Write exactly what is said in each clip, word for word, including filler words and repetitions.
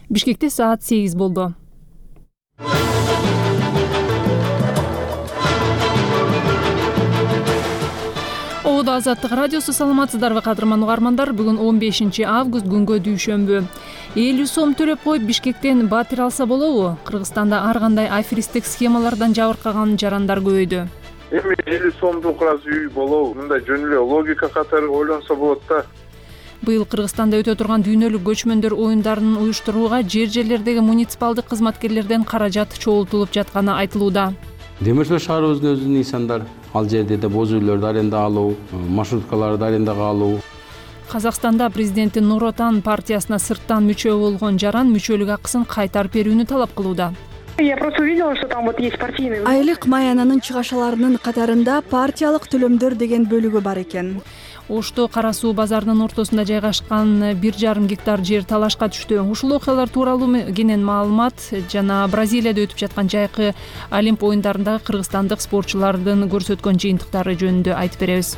Бишкекте саат сегиз болду. Оодо Азаттык радиосу, саламатсыздарбы кадырман угармандар? Бүгүн он бешинчи август, күнгө дүйшөмбү. элүү сом төлөп коюп Бишкектен батир алса болобу? Кыргызстанда ар кандай аферисттик схемалардан жабыркаган жарандар көбөйдү. Эми элүү сомдук аз үй болобу? Мындай жөн эле логика катары ойлонсо болот да. Быйыл Кыргызстанда өтө турган дүйнөлүк көчмөндөр оюндарын уюштурууга жер жерлердеги муниципалдык кызматкерлерден каражат чогултулуп жатканы айтылууда. Демир жол шаарыбыздын өзүнүн нысандар, ал жерде да боз үйлөрдү аренда алуу, маршруткаларды арендага алуу. Казакстанда президенттин Нур Отан партиясына сырттан мүчө болгон жаран мүчөлүк акысын кайтарып берүүнү талап кылууда. Я просто увидела, что там вот есть партийный. Айлык маянанын чыгашаларынын катарында партиялык төлөмдөр деген бөлүгү бар экен. Ошто Кара суу базарынын ортосунда жайгашкан бир жарым гектар жер талашка түштү. Ушул окуялар тууралуу кенен маалымат жана Бразилияда өтүп жаткан жайкы Олимп оюндарындагы кыргызстандык спортчулардын көрсөткөн жыйынтыктары жөнүндө айтып беребиз.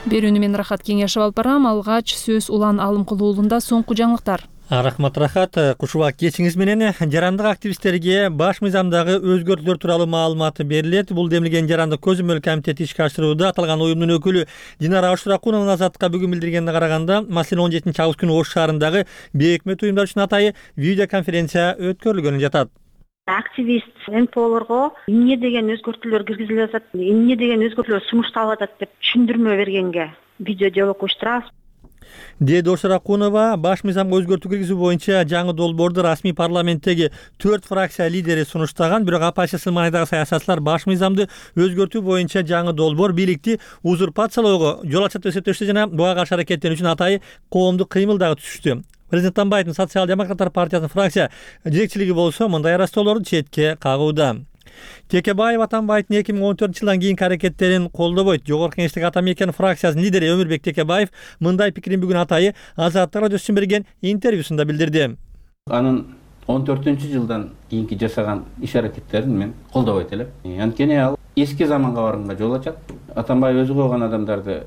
Берүүнү мен Рахат Кеңешев алып барам. Алгач сөз Улан Алымкулуу уулунда соңку жаңылыктар. Рахмат Рахат, кушуба кечиңиз менен жарандык активисттерге баш мыйзамдагы өзгөртүүлөр тууралуу маалымат берилет. Бул демилген жарандык көзөмөл комитети ишке ашырууда. Аталган уюмдун өкүлү Динара Ашуракунова Азаттыкка бүгүн билдиргенине караганда, маселен он жетинчи август күнү Ош шаарындагы бейөкмөт уюмдар үчүн атайы видеоконференция өткөрүлгөнү жатат. Активист эн пэ олорго эмне деген өзгөртүүлөр киргизилип атат, эмне деген өзгөртүүлөр сунушталып атат деп түшүндүрмө бергенге видео диалог уюштурабыз. Деди Ашуракунова баш мыйзамга өзгөртүү киргизүү боюнча жаңы долбоорду расмий парламенттеги төрт фракция лидери сунуштаган, бирок оппозиция маанидагы саясатчылар баш мыйзамды өзгөртүү боюнча жаңы долбоор бийликти узурпациялоого жол ачат деп эсептешти жана буга каршы аракеттенүү үчүн атайы коомдук кыймыл дагы түзүштү. Президент Атамбаевдин социал-демократтар партиясынын фракция жетекчилиги болсо мындай арастоолорду четке кагууда. Текебаев Атамбаевдин эки миң он төртүнчү жылдан кийинки аракеттерин колдобойт. Жогорку Кеңештик Атамекен фракциясынын лидери Өмүрбек Текебаев мындай пикирин бүгүн атайы Азаттык радиосу үчүн берген интервьюсунда билдирди. Анын он төртүнчү жылдан кийинки жасаган иш аракеттерин мен колдобойт элем. Анткени ал эски заманга барганга жол ачат. Атамбаев өзү койгон адамдарды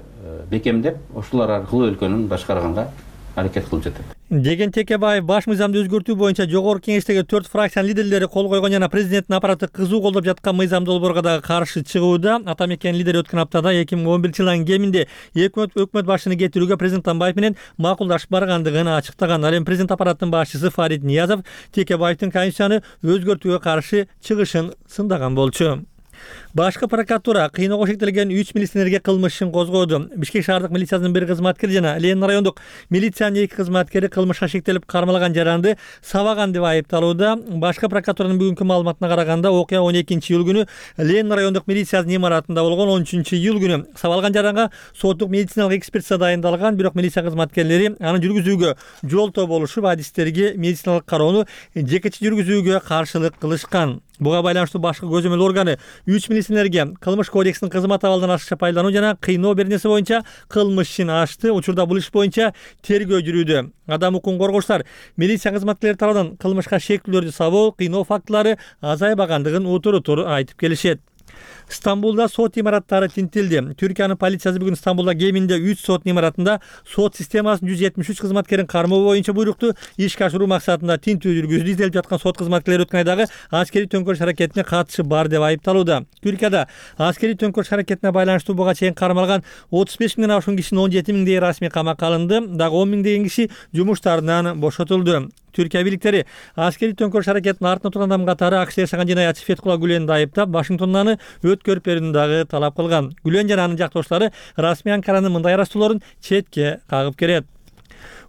бекемдеп, ошолор аркылуу өлкөнүн башкарганга аракет кылып жатат деген Текебаев баш мыйзамды өзгөртүү боюнча жогорку кеңештеги төрт фракциянын лидерлери кол койгон жана президенттин аппараты кызуу колдоп жаткан мыйзам долбоорго дагы каршы чыгууда. Атамекен лидери өткөн аптада эки миң он биринчи жылдын кеминде өкмөт өкмөт башчыны кетирүүгө президент Атамбаев менен макулдашып баргандыгын ачыктаган. Ал эми президент аппаратынын башчысы Фарид Ниязов Текебаевдин конституцияны өзгөртүүгө каршы чыгышын сындаган болчу. Башкы прокуратура кыйноого шектелген үч милиционерге кылмыш ишин козгоду. Бишкек шаардык милициясынын бир кызматкери жана Ленин райондук милициянын эки кызматкери кылмышка шектелип кармалган жаранды сабаган деп айыпталууда. Башкы прокуратуранын бүгүнкү маалыматына караганда, окуя он экинчи июль күнү Ленин райондук милициянын имаратында болгон. он үчүнчү июль күнү сабалган жаранга соттук медициналык экспертиза дайындалган, бирок милиция кызматкерлери аны жүргүзүүгө жолтоо болушуп, адистерге медициналык кароону жекече жүргүзүүгө каршылык кылышкан. Буга байланыштуу башкы көзөмөл органы үч милиционерге кылмыш кодексинин кызмат абалдан ашыкча пайдалануу жана кыйноо беренеси боюнча кылмыш ишин ачты. Учурда бул иш боюнча тергөө жүрүүдө. Адам укугун коргоочулар милиция кызматкерлери тарабынан кылмышка шектүүлөрдү сабоо, кыйноо фактылары азайбагандыгын утур-утур айтып келишет. Стамбулда сот имараттары тинтилди. Түркиянын полициясы бүгүн Стамбулда кеминде үч сот имаратында сот системасынын жүз жетимиш үч кызматкерин кармоо боюнча буйрукту ишке ашыруу максатында тинтүү жүргүздү. Изделип жаткан сот кызматкерлери өткөн айдагы аскерий төңкөрүш аракетине катышы бар деп айыпталууда. Түркияда аскерий төңкөрүш аракетине байланыштуу буга чейин кармалган отуз беш миңден ашуун кишинин он жети миңдей расмий камакка алынды. Дагы он миңдеген киши жумуштарынан бошотулду. Түркия бийликтери аскерий төңкөрүш аракетинин артында турган адам катары АКШ жашаган жынаятчы Фетхулла Гүленди айыптап, Вашингтондон аны өткөрүп берүүнү дагы талап кылган. Гүлен жана анын жактоошулары расмий Анкаранын мындай арастоолорун четке кагып келет.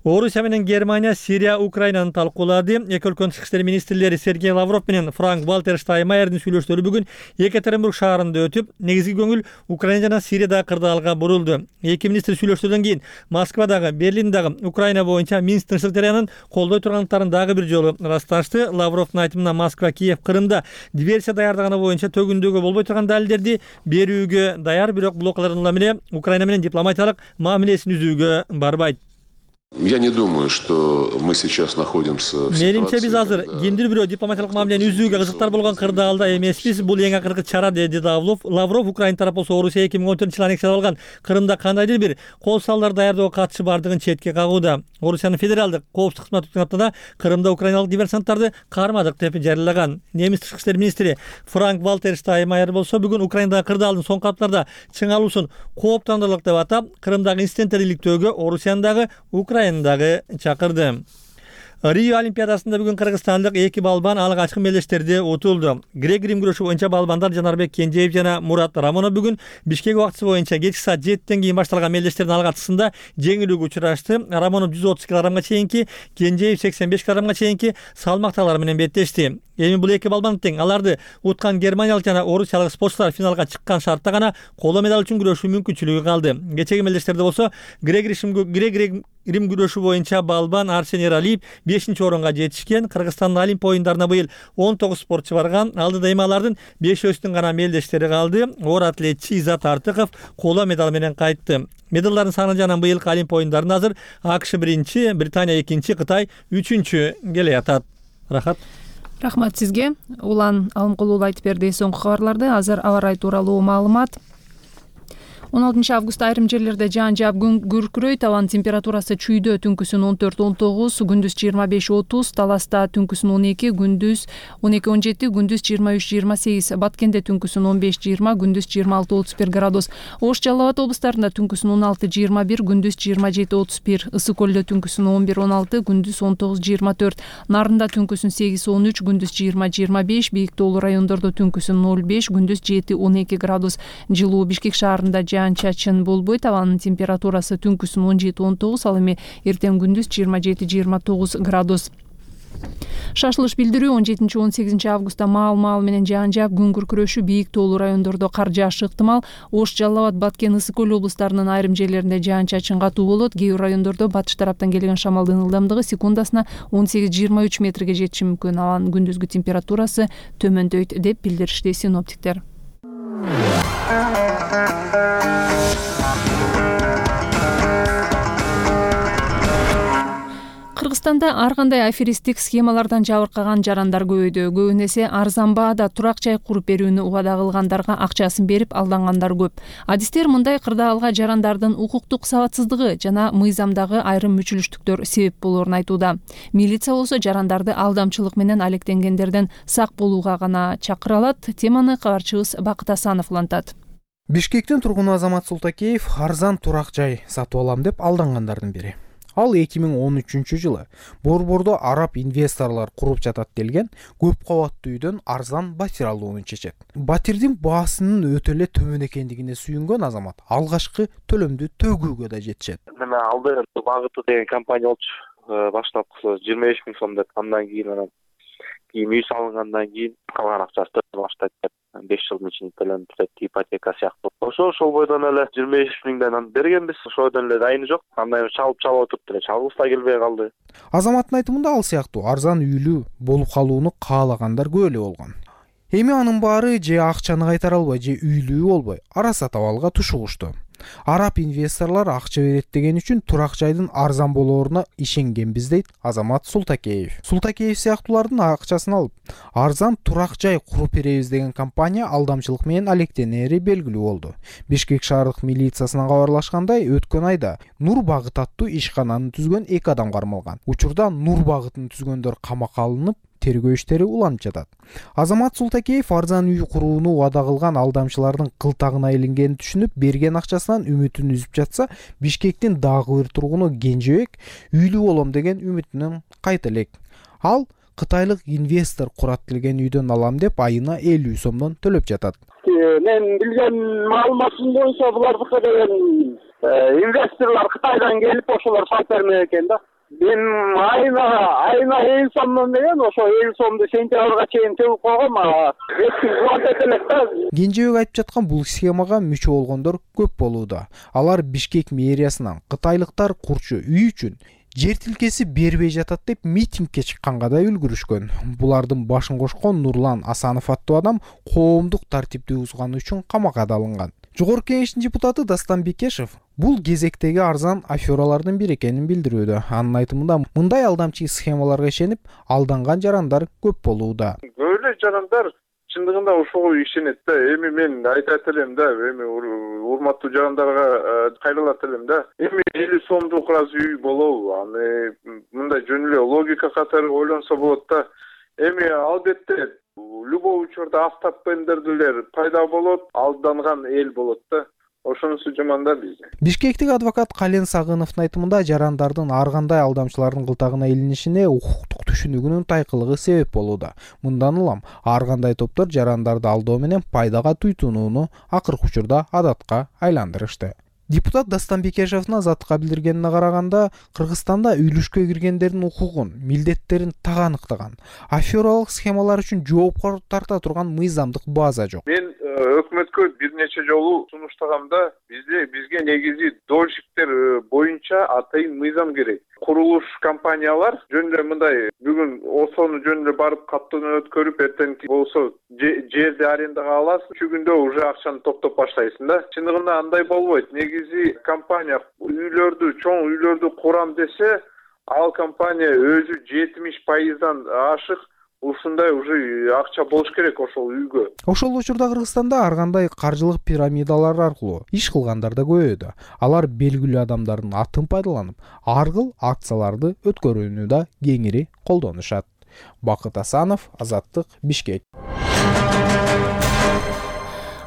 Орусия менен Германия Сирия Украинаны талкуулады. Эки өлкөнүн тышкы иштер министрлери Сергей Лавров менен Франк Вальтер Штайнмайердин сүйлөшүүлөрү бүгүн Екатеринбург шаарында өтүп, негизги көңүл Украина жана Сириядагы кырдаалга бурулду. Эки министр сүйлөшүүдөн кийин Москвадагы, Берлиндагы Украина боюнча Минск тынчтык жарыянын колдой турганлыктарын дагы бир жолу ырасташты. Лавровдун айтымына Москва Киев Крымда диверсия даярдаганы боюнча төгүндөгө болбой турган далилдерди берүүгө даяр, бирок бул окуялардан эле Украина менен дипломатиялык мамилесин үзүүгө барбайт. Я не думаю, что мы сейчас находимся в ситуации. Менимче биз азыр кимдир бирөө дипломатиялык мамилени үзүүгө кызыктар болгон кырдаалда эмеспиз. Бул эң акыркы чара, деди Лавров. Лавров Украина тарап болсо Орусия эки миң он төртүнчү жылы аннексиялап алган Крымда кандайдыр бир кол салдар даярдоого катышы бардыгын четке кагууда. Орусиянын федералдык коопсуздук кызматы өткөн аптада Крымда украиналык диверсанттарды кармадык деп жарыялаган. Немис тышкы иштер министри Франк Вальтер Штайнмайер болсо бүгүн Украинадагы кырдаалдын соңку апталарда чыңалуусун кооптондурлук деп атап, Крымдагы инциденттерди иликтөөгө Орусиянын Украинадагы чакырды. Рио Олимпиадасында бүгүн кыргызстандык эки балбан алгачкы мелдештерди утулду. Грек-рим күрөшү боюнча балбандар Жанарбек Кенжеев жана Мурат Рамонов бүгүн Бишкек убактысы боюнча кечки саат жетиден кийин башталган мелдештердин алгачкысында жеңилүүгө учурашты. Рамонов жүз отуз килограммга чейинки, Кенжеев сексен беш килограммга чейинки салмактаалар менен беттешти. Эми бул эки балбан тең. Аларды уткан германиялык жана орусиялык спортчулар финалга чыккан шартта гана коло медаль үчүн күрөшүү мүмкүнчүлүгү калды. Кечеги мелдештерде болсо грек-рим күрөшү боюнча балбан Арсений Ралиев бешинчи орунга жетишкен. Кыргызстандын Олимп оюндарына быйыл он тогуз спортчу барган. Алдыда эми алардын бешөөсүнүн гана мелдештери калды. Оор атлетчи Изат Артыков коло медаль менен кайтты. Медалдардын саны жанагы быйылкы Олимп оюндарында азыр АКШ биринчи, Британия экинчи, Кытай үчүнчү келе атат. Рахат. Рахмат сизге. Улан Алымкулуу айтып берди соңку кабарларды. Азыр аба ырайы тууралуу маалымат. он алтынчы август айрым жерлерде жаан жаап күн күркүрөйт. Абанын температурасы чүйдө түнкүсүн он төрт он тогуз, күндүз жыйырма беш отуз, Таласта түнкүсүн он эки, күндүз он эки он жети, күндүз жыйырма үч жыйырма сегиз, Баткенде түнкүсүн он беш жыйырма, күндүз жыйырма алты отуз бир градус. Ош Жалал Абад облустарында түнкүсүн он алты жыйырма бир, күндүз жыйырма жети отуз бир, Ысык көлдө түнкүсүн он бир он алты, күндүз он тогуз жыйырма төрт, Нарында түнкүсүн сегиз он үч, күндүз жыйырма жыйырма беш, Бийик тоолуу райондордо түнкүсүн ноль беш, күндүз жети он эки градус. Жылуу. Бишкек шаарында жаан-чачын болбойт. Абанын температурасы түнкүсүн он жети он тогуз, ал эми эртең күндүз жыйырма жети жыйырма тогуз градус. Шашылыш билдирүү он жетинчи он сегизинчи августта маал-маал менен жаан жаап күн күркүрөшү, Бийик тоолуу райондордо кар жаашы ыктымал. Ош, Жалал Абад, Баткен, Ысык көл облустарынын айрым жерлеринде жаан-чачын катуу болот. Кээ бир райондордо батыш тараптан келген шамалдын ылдамдыгы секундасына он сегиз жыйырма үч метрге жетиши мүмкүн. Анын күндүзгү температурасы төмөндөйт деп билдиришти синоптиктер. Кыргызстанда ар кандай аферисттик схемалардан жабыркаган жарандар көбөйдү. Көбүн эсе арзан баада турак жай куруп берүүнү убада кылгандарга акчасын берип алдангандар көп. Адистер мындай кырдаалга жарандардын укуктук сабатсыздыгы жана мыйзамдагы айрым мүчүлүштүктөр себеп болоорун айтууда. Милиция болсо жарандарды алдамчылык менен алектенгендерден сак болууга гана чакыра алат. Теманы кабарчыбыз Бакыт Асанов улантат. Бишкектин тургуну Азамат Султакеев арзан турак жай сатып алам деп алдангандардын бири. Ал эки миң он үчүнчү жылы Борбордо араб инвесторлор куруп жатат делген көп кабаттуу үйдөн арзан батир алууну чечет. Батирдин баасынын өтө эле төмөн экендигине сүйүнгөн Азамат алгачкы төлөмдү төгүүгө да жетишет. Мен алдыгы багыты деген компания болчу. Баштапкысы жыйырма беш миң сом деп, андан кийин анан кийин үй салынгандан кийин калган акчасы баштайт деп беш жылдын ичинде төлөнүп кетет, ипотека сыяктуу. Ошо ошол бойдон эле жыйырма беш миңден бергенбиз. Ошодон эле дайыны жок. Андан чалып чалып отуруп эле чалгысы да келбей калды. Азаматтын айтымында ал сыяктуу арзан үйлүү болуп калууну каалагандар көп эле болгон. Эми анын баары же акчаны кайтара албай, же үйлүү болбой араса табалга тушугушту. Араб инвесторлор акча берет деген үчүн турак жайдын арзан болооруна ишенгенбиз дейт Азамат Султакеев. Султакеев сыяктуулардын акчасын алып, арзан турак жай куруп беребиз деген компания алдамчылык менен алектенери белгилүү болду. Бишкек шаардык милициясынан кабарлашкандай, өткөн айда Нур багыт аттуу ишкананы түзгөн эки адам кармалган. Учурда Нур багытын түзгөндөр камакка алынып, тергөө иштери уланып жатат. Азамат Султакеев арзан үй курууну убада кылган алдамчылардын кылтагына илингенин түшүнүп, берген акчасынан үмүтүн үзүп жатса, Бишкектин дагы бир тургуну Кенжебек үйлүү болом деген үмүтүнөн кайта элек. Ал кытайлык инвестор курат деген үйдөн алам деп айына элүү сомдон төлөп жатат. Мен билген маалыматым боюнча булардыкы деген инвесторлор Кытайдан келип ошолор сатып бермек экен да. Мен айына айына элүү сомдон деген ошо элүү сомду сентябрга чейин төгүп койгом, Кенжебек айтып жаткан бул схемага мүчө болгондор көп болууда. Алар Бишкек мэриясынан кытайлыктар курчу үй үчүн жер тилкеси бербей жатат деп митингке чыкканга да үлгүрүшкөн. Булардын башын кошкон Нурлан Асанов аттуу адам коомдук тартипти бузганы үчүн камакка алынган. Жогорку кеңештин депутаты Дастан Бекешев бул кезектеги арзан афералардын бири экенин билдирүүдө. Анын айтымында мындай алдамчы схемаларга ишенип алданган жарандар көп болууда. Böyle жарандар чындыгында ошого ишенет да. Эми мен айтат элем да, эми урматтуу жарандарга кайрылат элем да. Эми элүү сомдук разве үй болобу? Аны мындай жөн эле логика катары ойлонсо болот да. Эми албетте любой учурда автопендерлер пайда болот, алданган эл болот да. Ошонусу жаман да бизде. Бишкектик адвокат Кален Сагыновдун айтымында жарандардын ар кандай алдамчылардын кылтагына илинишине укуктук түшүнүгүнүн тайкылыгы себеп болууда. Мындан улам ар кандай топтор жарандарды алдоо менен пайдага туйтунууну акыркы учурда адатка айландырышты. Депутат Дастан Бекешевдин Азаттыкка билдиргенине караганда, Кыргызстанда үйлүшкө киргендердин укугун, милдеттерин так аныктаган, афералык схемалар үчүн жоопко тарта турган мыйзамдык база жок. Мен өкмөткө бир нече жолу сунуштагамда бизде бизге негизи дольщиктер боюнча атайын мыйзам керек. Курулуш компаниялар жөн эле мындай бүгүн осону жөн эле барып каттоonu өткөрүп, эртеңки болсо жерди арендага аласың, үч күндө уже акчаны топтоп баштайсың да. Чындыгында андай болбойт. Негизи компания үйлөрдү, чоң үйлөрдү курам десе, ал компания өзү жетимиш пайыздан ашык ушундай уже акча болуш керек ошол үйгө. Ошол учурда Кыргызстанда ар кандай каржылык пирамидалар аркылуу иш кылгандар да көбөйдү. Алар белгилүү адамдардын атын пайдаланып, ар кыл акцияларды өткөрүүнү да кеңири колдонушат. Бакыт Асанов, Азаттык, Бишкек.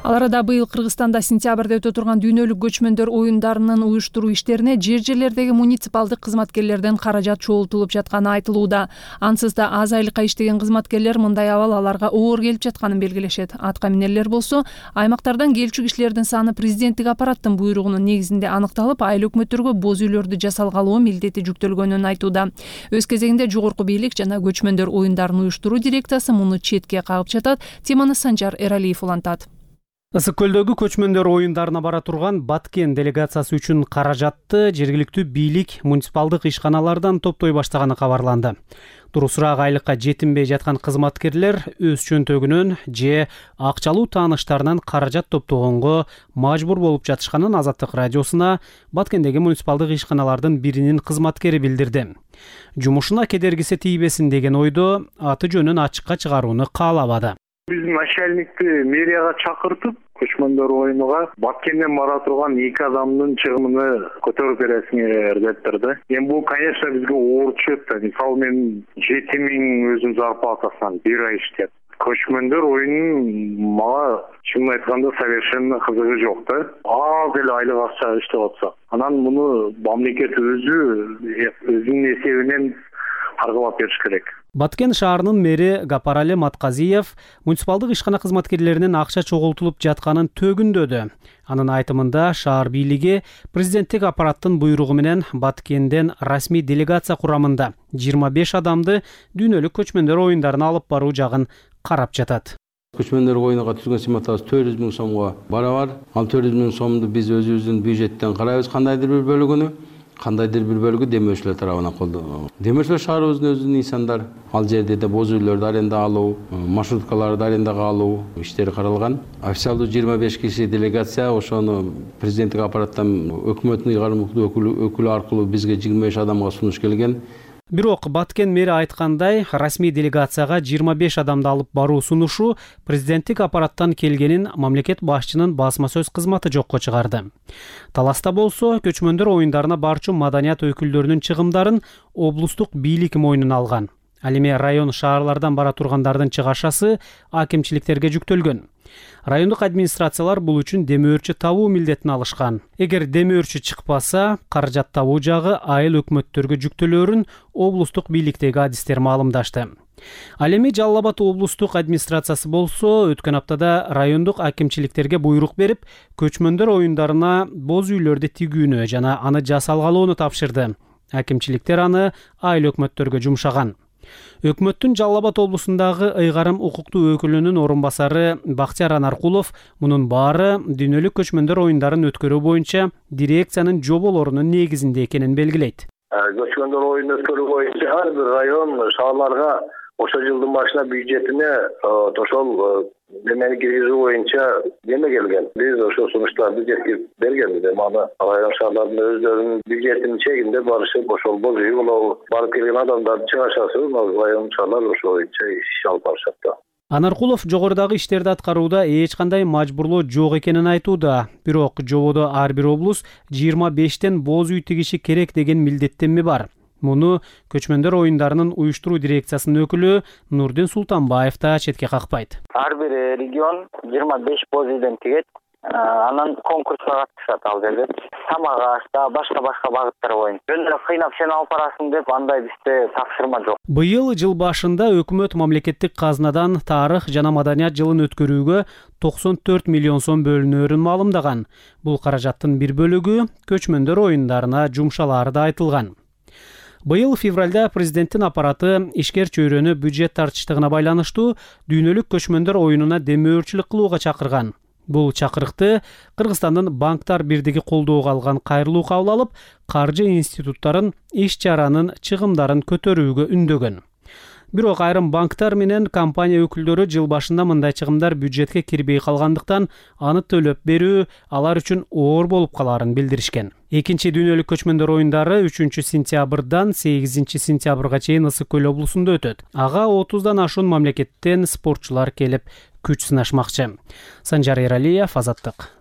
Ал арада быйыл Кыргызстанда сентябрда өтө турган дүйнөлүк көчмөндөр оюндарынын уюштуруу иштерине жер жерлердеги муниципалдык кызматкерлерден каражат чогултулуп жатканы айтылууда. Ансыз да аз айлыкка иштеген кызматкерлер мындай абал аларга оор келип жатканын белгилешет. Атка минерлер болсо, аймактардан келчү кишилердин саны президенттик аппараттын буйругунун негизинде аныкталып, айыл өкмөттөргө боз үйлөрдү жасалгалоо милдети жүктөлгөнүн айтууда. Өз кезегинде жогорку бийлик жана көчмөндөр оюндарын уюштуруу дирекциясы муну четке кагып жатат. Теманы Санжар Эралиев улантат. Ысык көлдөгү көчмөндөр оюндарына бара турган Баткен делегациясы үчүн каражатты жергиликтүү бийлик муниципалдык ишканалардан топтой баштаганы кабарланды. Турусураак айлыкка жетинбей жаткан кызматкерлер өз чөнтөгүнөн же акчалуу тааныштарынан каражат топтогонго мажбур болуп жатышканын Азаттык радиосуна Баткендеги муниципалдык ишканалардын биринин кызматкери билдирди. Жумушуна кедергиси тийбесин деген ойдо аты жөнүн ачыкка чыгарууну каалабады. Биз начальникти мэрияга чакыртып, көчмөндөр оюнуга Баткенден бара турган эки адамдын чыгымын көтөрүп бересиңер деп турду. Эми бул, конечно, бизге оор түшөт да. Мисалы мен жети миң өзүм зарплатасынан бир ай иштеп. Көчмөндөр оюнун мага чын айтканда совершенно кызыгы жок да. Аз эле айлык акча иштеп атса. Анан муну мамлекет өзү өзүнүн эсебинен аргылап бериш керек. Баткен шаарынын мэри Гапарали Матказиев муниципалдык ишкана кызматкерлеринин акча чогултулуп жатканын төгүндөдү. Анын айтымында шаар бийлиги президенттик аппараттын буйругу менен Баткенден расмий делегация курамында жыйырма беш адамды дүйнөлүк көчмөндөр оюндарын алып баруу жагын карап жатат. Көчмөндөр оюнуга түзгөн сметабыз төрт жүз миң сомго барабар. Ал төрт жүз миң сомду биз өзүбүздүн бюджеттен карайбыз, кандайдыр бир бөлүгүнү. Кандайдыр бир бөлүгү демөөрчүлөр тарабынан колдонулат. Демөөрчүлөр шаарыбыздын өзүнүн инсандар. Ал жерде да боз үйлөрдү аренда алуу, маршруткаларды арендага алуу иштери каралган. Официалдуу жыйырма беш киши делегация ошону президенттик аппараттан өкмөттүн ыйгарымдуу өкүлү аркылуу бизге жыйырма беш адамга сунуш келген. Бирок Баткен мэри айткандай, расмий делегацияга жыйырма беш адамды алып баруу сунушу президенттик аппараттан келгенин мамлекет башчынын басма сөз кызматы жокко чыгарды. Таласта болсо, көчмөндөр оюндарына барчу маданият өкүлдөрүнүн чыгымдарын облустук бийлик мойнуна алган. Ал эми район шаарлардан бара тургандардын чыгашасы акимчиликтерге жүктөлгөн. Райондук администрациялар бул үчүн демөөрчү табуу милдетин алышкан. Эгер демөөрчү чыкпаса, каражат табуу жагы айыл өкмөттөргө жүктөлөөрүн облустук бийликтеги адистер маалымдашты. Ал эми Жалал Абад облустук администрациясы болсо, өткөн аптада райондук акимчиликтерге буйрук берип, көчмөндөр оюндарына боз үйлөрдү тигүүнү жана аны жасалгалоону тапшырды. Акимчиликтер аны айыл өкмөттөргө жумшаган. Өкмөттүн Жалал Абад облусундагы ыйгарым укуктуу өкүлүнүн орун басары Бактияр Анаркулов мунун баары дүйнөлүк көчмөндөр оюндарын өткөрүү боюнча дирекциянын жоболорунун негизинде экенин белгилейт. Көчмөндөр оюнун өткөрүү боюнча ар бир район шаарларга ошол жылдын башына бюджетине ошол Демени киргизүү боюнча неме келген. Биз ошол сунуштарды жеткирип бергенбиз. Аны район шаарлардын өздөрүнүн бюджетинин чегинде барышып, ошол божой болобу, барып келген адамдарды чыгашасы, район шаарлар ошол боюнча иш алып барышат да. Анаркулов жогорудагы иштерди аткарууда эч кандай мажбурлоо жок экенин айтууда. Бирок жободо ар бир облус жыйырма бештен боз үй тигиши керек деген милдеттенме бар. Муну көчмөндөр оюндарынын уюштуруу дирекциясынын өкүлү Нурдин Султанбаев да четке какпайт. Ар бир регион жыйырма беш боз үйдөн тигет. Анан конкурска катышат ал жерде. Самак аш, башка-башка багыттар боюнча. Жөн эле кыйнап сен алып барасың деп андай бизде тапшырма жок. Быйыл жыл башында өкмөт мамлекеттик казнадан тарых жана маданият жылын өткөрүүгө токсон төрт миллион сом бөлүнөөрүн маалымдаган. Бул каражаттын бир бөлүгү көчмөндөр оюндарына жумшалаары да айтылган. Быйыл февралда президенттин аппараты ишкер чөйрөнү бюджет тартыштыгына байланыштуу дүйнөлүк көчмөндөр оюнуна демөөрчүлүк кылууга чакырган. Бул чакырыкты Кыргызстандын банктар бирдиги колдоого алган кайрылуу кабыл алып, каржы институттарын иш-чаранын чыгымдарын көтөрүүгө үндөгөн. Бирок айрым банктар менен компания өкүлдөрү жыл башында мындай чыгымдар бюджетке кирбей калгандыктан аны төлөп берүү алар үчүн оор болуп калаарын билдиришкен. Экинчи дүйнөлүк көчмөндөр оюндары үчүнчү сентябрдан сегизинчи сентябрга чейин Ысык көл облусунда өтөт. Ага отуздан ашуун мамлекеттен спортчулар келип күч сынашмакчы. Санжар Эралиев, Азаттык.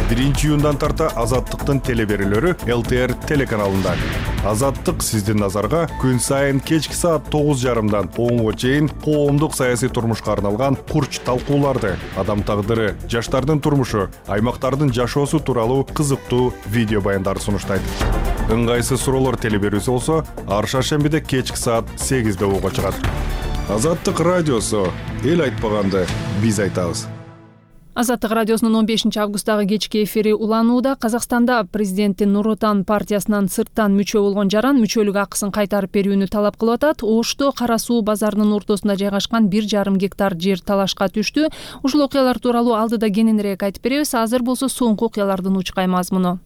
биринчи июндан тарта Азаттыктын телеберүүлөрү эл тэ эр телеканалында. Азаттык сиздин назарга күн сайын кечки саат тогуз жарымдан онго чейин коомдук саясий турмушка арналган курч талкууларды, адам тагдыры, жаштардын турмушу, аймактардын жашоосу тууралуу кызыктуу видео баяндарды сунуштайт. Ыңгайсыз суроолор телеберүүсү болсо, ар шаршембиде кечки саат сегизде ого чыгат. Азаттык радиосу, эл айтпаганды биз айтабыз. Азаттык радиосунун он бешинчи августтагы кечки эфири уланууда. Казакстанда президенттин Нур Отан партиясынан сырттан мүчө болгон жаран мүчөлүк акысын кайтарып берүүнү талап кылып атат. Ошто Кара Суу базарынын ортосунда жайгашкан бир жарым гектар жер талашка түштү. Ушул окуялар тууралуу алдыда кененирээк айтып беребиз. Азыр болсо соңку окуялардын учкай мазмуну.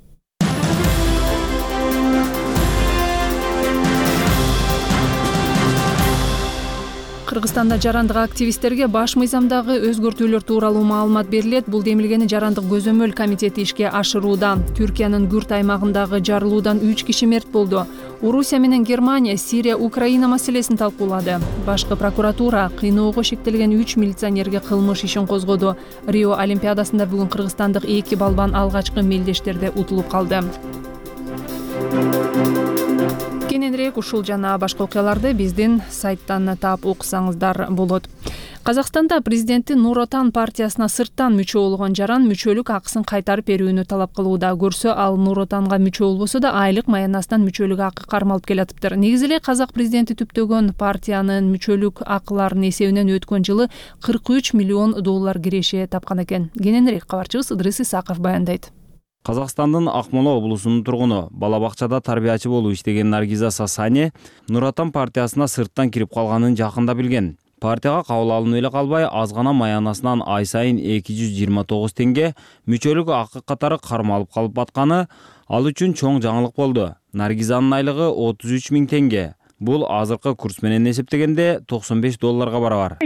Кыргызстанда жарандык активисттерге баш мыйзамдагы өзгөртүүлөр тууралуу маалымат берилет. Бул демилгени жарандык көзөмөл комитети ишке ашырууда. Түркиянын Күрт аймагындагы жарылуудан үч киши мерт болду. Орусия менен Германия Сирия Украина маселесин талкуулады. Башкы прокуратура кыйноого шектелген үч милиционерге кылмыш ишин козгоду. Рио олимпиадасында бүгүн кыргызстандык эки балбан алгачкы мелдештерде утулуп калды. Кененирээк ушул жана башка окуяларды биздин сайттан таап окусаңыздар болот. Казакстанда президенти Нур Отан партиясына сырттан мүчө болгон жаран мүчөлүк акысын кайтарып берүүнү талап кылууда. Көрсө ал Нур Отанга мүчө болбосо да айлык маянасынан мүчөлүк акы кармалып келатыптыр. Негизи эле казак президенти түптөгөн партиянын мүчөлүк акыларынын эсебинен өткөн жылы кырк үч миллион доллар киреше тапкан экен. Кененирээк кабарчыбыз Ыдрыс Исаков баяндайт. Казакстандын Акмола облусунун тургуну, бала бакчада тарбиячы болуп иштеген Наргиза Сасани Нур Отан партиясына сырттан кирип калганын жакында билген. Партияга кабыл алынып эле калбай, аз гана маянасынан ай сайын эки жүз жыйырма тогуз теңге мүчөлүк акы катары кармалып калып батканы ал үчүн чоң жаңылык болду. Наргизанын айлыгы отуз үч миң теңге. Бул азыркы курс менен эсептегенде токсон беш долларга барабар.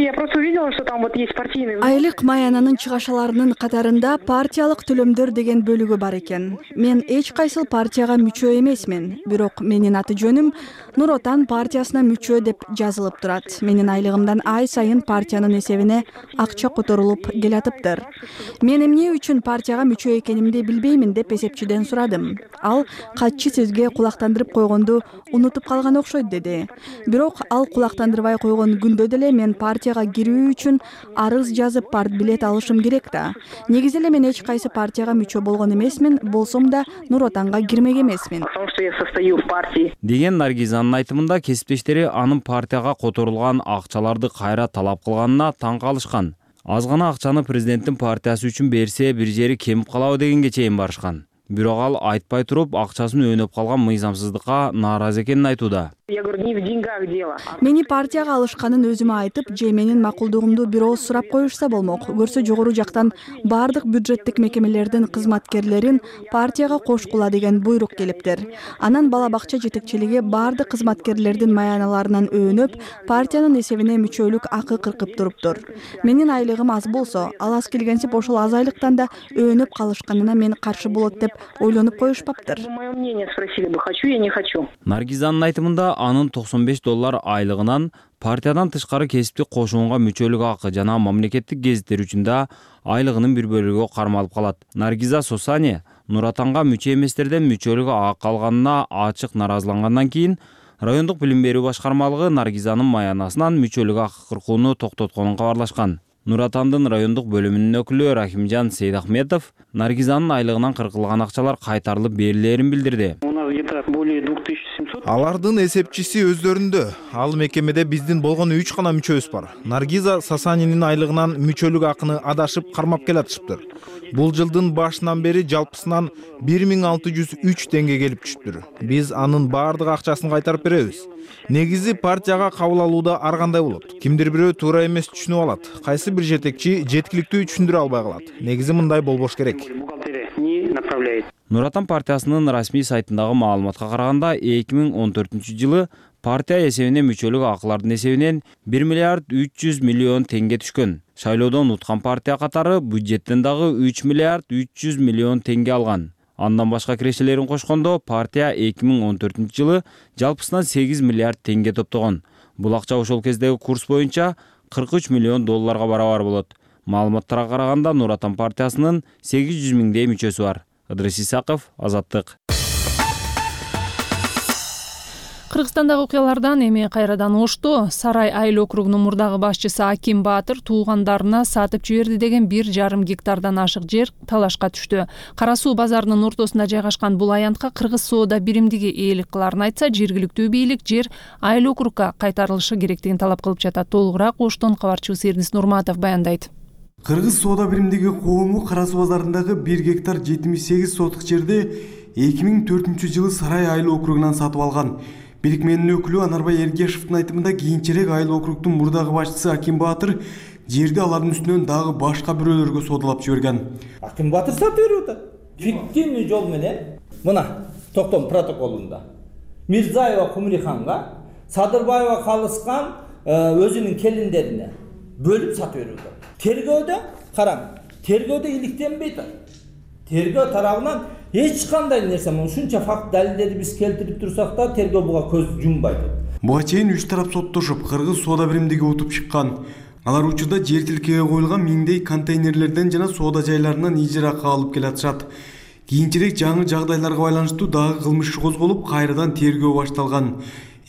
Айлык маянанын чыгашаларынын катарында партиялык төлөмдөр деген бөлүгү бар экен. Мен эч кайсыл партияга мүчө эмесмин, бирок менин аты жөнүм Нур Отан партиясына мүчө деп жазылып турат. Менин айлыгымдан ай сайын партиянын эсебине акча которулуп келатыптыр. Мен эмне үчүн партияга мүчө экенимди билбеймин деп эсепчиден сурадым. Ал катчы сөзгө кулактандырып койгонду унутуп калган окшойт деди. Бирок ал кулактандырбай койгон күндө деле мен партияга кирүү үчүн арыз жазып партбилет алышым керек да. Негизи эле мен эч кайсы партияга мүчө болгон эмесмин, болсом да Нур Отанга кирмек эмесмин. Деген Наргизанын айтымында кесиптештери анын партияга которулган акчаларды кайра талап кылганына таң калышкан. Аз гана акчаны президенттин партиясы үчүн берсе бир жери кемип калабы дегенге чейин барышкан. Бирок ал айтпай туруп акчасын өнөп калган мыйзамсыздыкка нааразы экенин айтууда. Я говорю, не в деньгах дело. Мени партияга алышканын өзүмө айтып, же менин макулдугумду бир ооз сурап коюшса болмок. Көрсө жогору жактан бардык бюджеттик мекемелердин кызматкерлерин партияга кошкула деген буйрук келиптир. Анан бала бакча жетекчилиги бардык кызматкерлердин маяналарынан өөнөп, партиянын эсебине мүчөлүк акы кыркып туруптур. Менин айлыгым аз болсо, ал аз келгенсип ошол аз айлыктан да өөнөп калышканына мен каршы болот деп ойлонуп коюшпаптыр. Мое мнение спросили бы, хочу я не хочу. Наргизанын айтымында анын токсон беш доллар айлыгынан партиядан тышкары кесиптик кошуунга мүчөлүк акы жана мамлекеттик гезиттер үчүн да айлыгынын бир бөлүгү кармалып калат. Наргиза Сосани Нур Отанга мүчө эместерден мүчөлүк акы алганына ачык наразылангандан кийин райондук билим берүү башкармалыгы Наргизанын маянасынан мүчөлүк акы кыркууну токтотконун кабарлашкан. Нур Отандын райондук бөлүмүнүн өкүлү Рахимжан Сейдахметов Наргизанын айлыгынан кыркылган акчалар кайтарылып берилерин билдирди. Алардын эсепчиси өздөрүндө. Ал мекемеде биздин болгон үч гана мүчөбүз бар. Наргиза Сасанинин айлыгынан мүчөлүк акыны адашып кармап келатышыптыр. Бул жылдын башынан бери жалпысынан бир миң алты жүз үч теңге келип түшүптүр. Биз анын баардык акчасын кайтарып беребиз. Негизи партияга кабыл алууда ар кандай болот. Кимдир бирөө туура эмес түшүнүп алат. Кайсы бир жетекчи жеткиликтүү түшүндүрө албай калат. Негизи мындай болбош керек. Нур Отан партиясынын расмий сайтындагы маалыматка караганда эки миң он төртүнчү жылы партия эсебине мүчөлүк акылардын эсебинен бир миллиард үч жүз миллион теңге түшкөн. Шайлоодон уткан партия катары бюджеттен дагы үч миллиард үч жүз миллион теңге алган. Андан башка кирешелерин кошкондо партия эки миң он төртүнчү жылы жалпысынан сегиз миллиард теңге топтогон. Бул акча ошол кездеги курс боюнча кырк үч миллион долларга барабар болот. Маалыматтарга караганда Нур Отан партиясынын сегиз жүз миңдей мүчөсү бар. Ыдрис Исаков, Азаттык. Кыргызстандагы окуялардан эми кайрадан ошту. Сарай айыл округунун мурдагы башчысы Аким Баатыр туугандарына сатып жиберди деген бир жарым гектардан ашык жер талашка түштү. Кара Суу базарынын ортосунда жайгашкан бул аянтка Кыргыз соода биримдиги ээлик кыларын айтса, жергиликтүү бийлик жер айыл округга кайтарылышы керектигин талап кылып жатат. Толугураак Оштон кабарчыбыз Эрнис Нурматов баяндайт. Кыргыз соода биримдиги коому Кара Суу базарындагы бир гектар жетимиш сегиз сотук жерди эки миң төртүнчү жылы Сарай айыл округунан сатып алган. Бирикменин өкүлү Анарбай Эргешевдин айтымында кийинчерээк айыл округдун мурдагы башчысы Аким Баатыр жерди алардын үстүнөн дагы башка бирөөлөргө соодалап жиберген. Аким Баатыр сатып берип атат. Фиктивный жол менен мына токтом протоколунда Мирзаева Кумриханга, Садырбаева Калыскан өзүнүн келиндерине бөлүп сатып берип атат. Тергөөдө караң, тергөөдө иликтенбей атат. Тергөө тарабынан эч кандай нерсе, ушунча факт далилдерди биз келтирип турсак да, тергөө буга көз жумбайт. Буга чейин үч тарап соттошуп, Кыргыз соода биримдиги утуп чыккан. Алар учурда жер тилкеге коюлган миңдей контейнерлерден жана соода жайларынан ижаракы алып келатышат. Кийинчерээк жаңы жагдайларга байланыштуу дагы кылмыш козголуп, кайрадан тергөө башталган.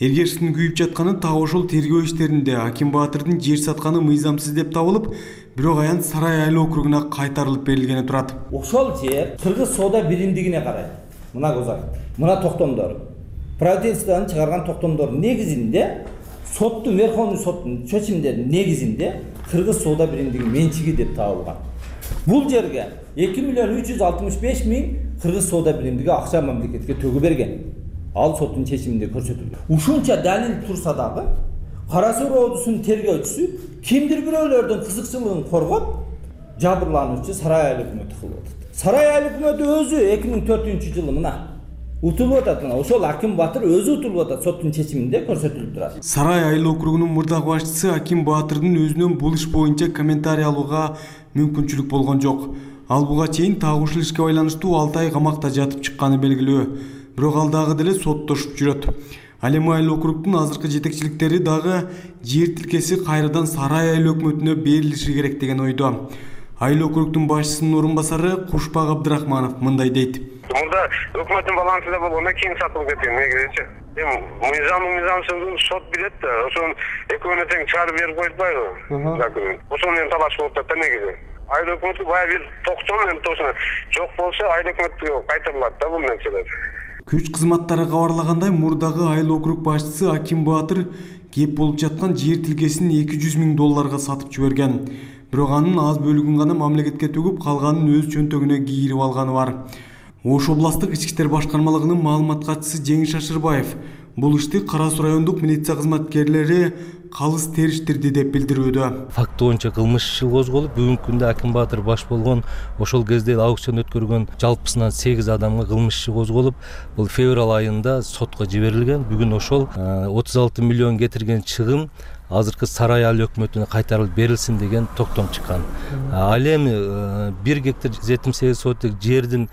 Эргешевдин күйүп жатканы так ошол тергөө иштеринде Аким Баатырдын жер сатканы мыйзамсыз деп табылып, бирок аянт Сарай айыл округуна кайтарылып берилгени турат. Ошол жер Кыргыз соода биримдигине карайт. Мына козак, мына токтомдор. Правительстводон чыгарган токтомдор негизинде соттун, Верховный соттун чечимдеринин негизинде Кыргыз соода биримдиги менчиги деп табылган. Бул жерге эки миллион үч жүз алтымыш беш миң Кыргыз соода биримдиги акча мамлекетке төгүп берген. Ал соттун чечиминде көрсөтүлгөн. Ушунча далил турса дагы Кара Суу роодусунун тергөөчүсү кимдир бирөөлөрдүн кызыкчылыгын коргоп, жабырлануучу Сарай айыл өкмөтү кылып атат. Сарай айыл өкмөтү өзү эки миң төртүнчү жылы мына утулуп атат. Мына ошол Аким Баатыр өзү утулуп атат, соттун чечиминде көрсөтүлүп турат. Сарай айыл округунун мурдагы башчысы Аким Баатырдын өзүнөн бул иш боюнча комментарий алууга мүмкүнчүлүк болгон жок. Ал буга чейин так ушул ишке байланыштуу алты ай камакта жатып чыкканы белгилүү. Бирок ал дагы деле соттошуп жүрөт. Ал эми айыл округдун азыркы жетекчиликтери дагы жер тилкеси кайрадан Сарай айыл өкмөтүнө берилиши керек деген ойдо. Айыл округдун башчысынын орун басары Кушпак Абдрахманов мындай дейт. Мурда өкмөттүн балансында болгондон кийин сатылып кеткен негизичи. Эми мыйзам мыйзамсыздыгын сот билет да, ошону экөөнө тең чыгарып берип коюшпайбы? Закону. Ошону менен талаш болуп атат да негизи. Айыл өкмөтү бая бир токтом менен тосуна жок болсо айыл өкмөткө кайтарылат да бул нерселер. Күч кызматтары кабарлагандай, мурдагы айыл округ башчысы Аким Баатыр кеп болуп жаткан жер тилкесин эки жүз миң долларга сатып жиберген. Бирок анын аз бөлүгүн гана мамлекетке төгүп, калганын өз чөнтөгүнө кийирип алганы бар. Ош областтык ички иштер башкармалыгынын маалымат катчысы Жеңиш Ашырбаев Бул ишти Кара Суу райондук милиция кызматкерлери калыс териштирди деп билдирүүдө. Факт боюнча кылмыш иши козголуп, бүгүнкү күндө Аким Баатыр баш болгон, ошол кезде аукцион өткөргөн жалпысынан сегиз адамга кылмыш иши козголуп, бул февраль айында сотко жиберилген. Бүгүн ошол отуз алты миллион кетирген чыгым азыркы сарай эл өкмөтүнө кайтарылып берилсин деген токтом чыккан. Ал эми бир гектар жетимиш сегиз соток жердин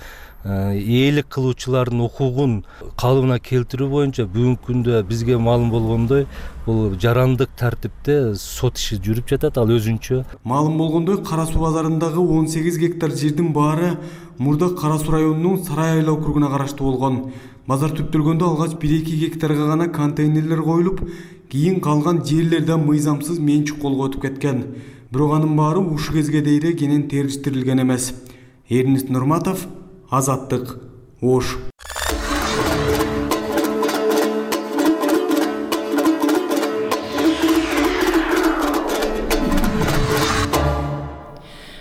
ээлик кылуучулардын укугун калыбына келтирүү боюнча бүгүнкү күндө бизге маалым болгондой бул жарандык тартипте сот иши жүрүп жатат. Ал өзүнчө маалым болгондой Кара Суу базарындагы он сегиз гектар жердин баары мурда Кара Суу районунун Сарай айыл округуна караштуу болгон. Базар түптөлгөндө алгач бир эки гектарга гана контейнерлер коюлуп, кийин калган жерлерде мыйзамсыз менчик колго өтүп кеткен. Бирок анын баары ушул кезге дейре кенен териштирилген эмес. Эрнис Нурматов, Азаттык, Ош.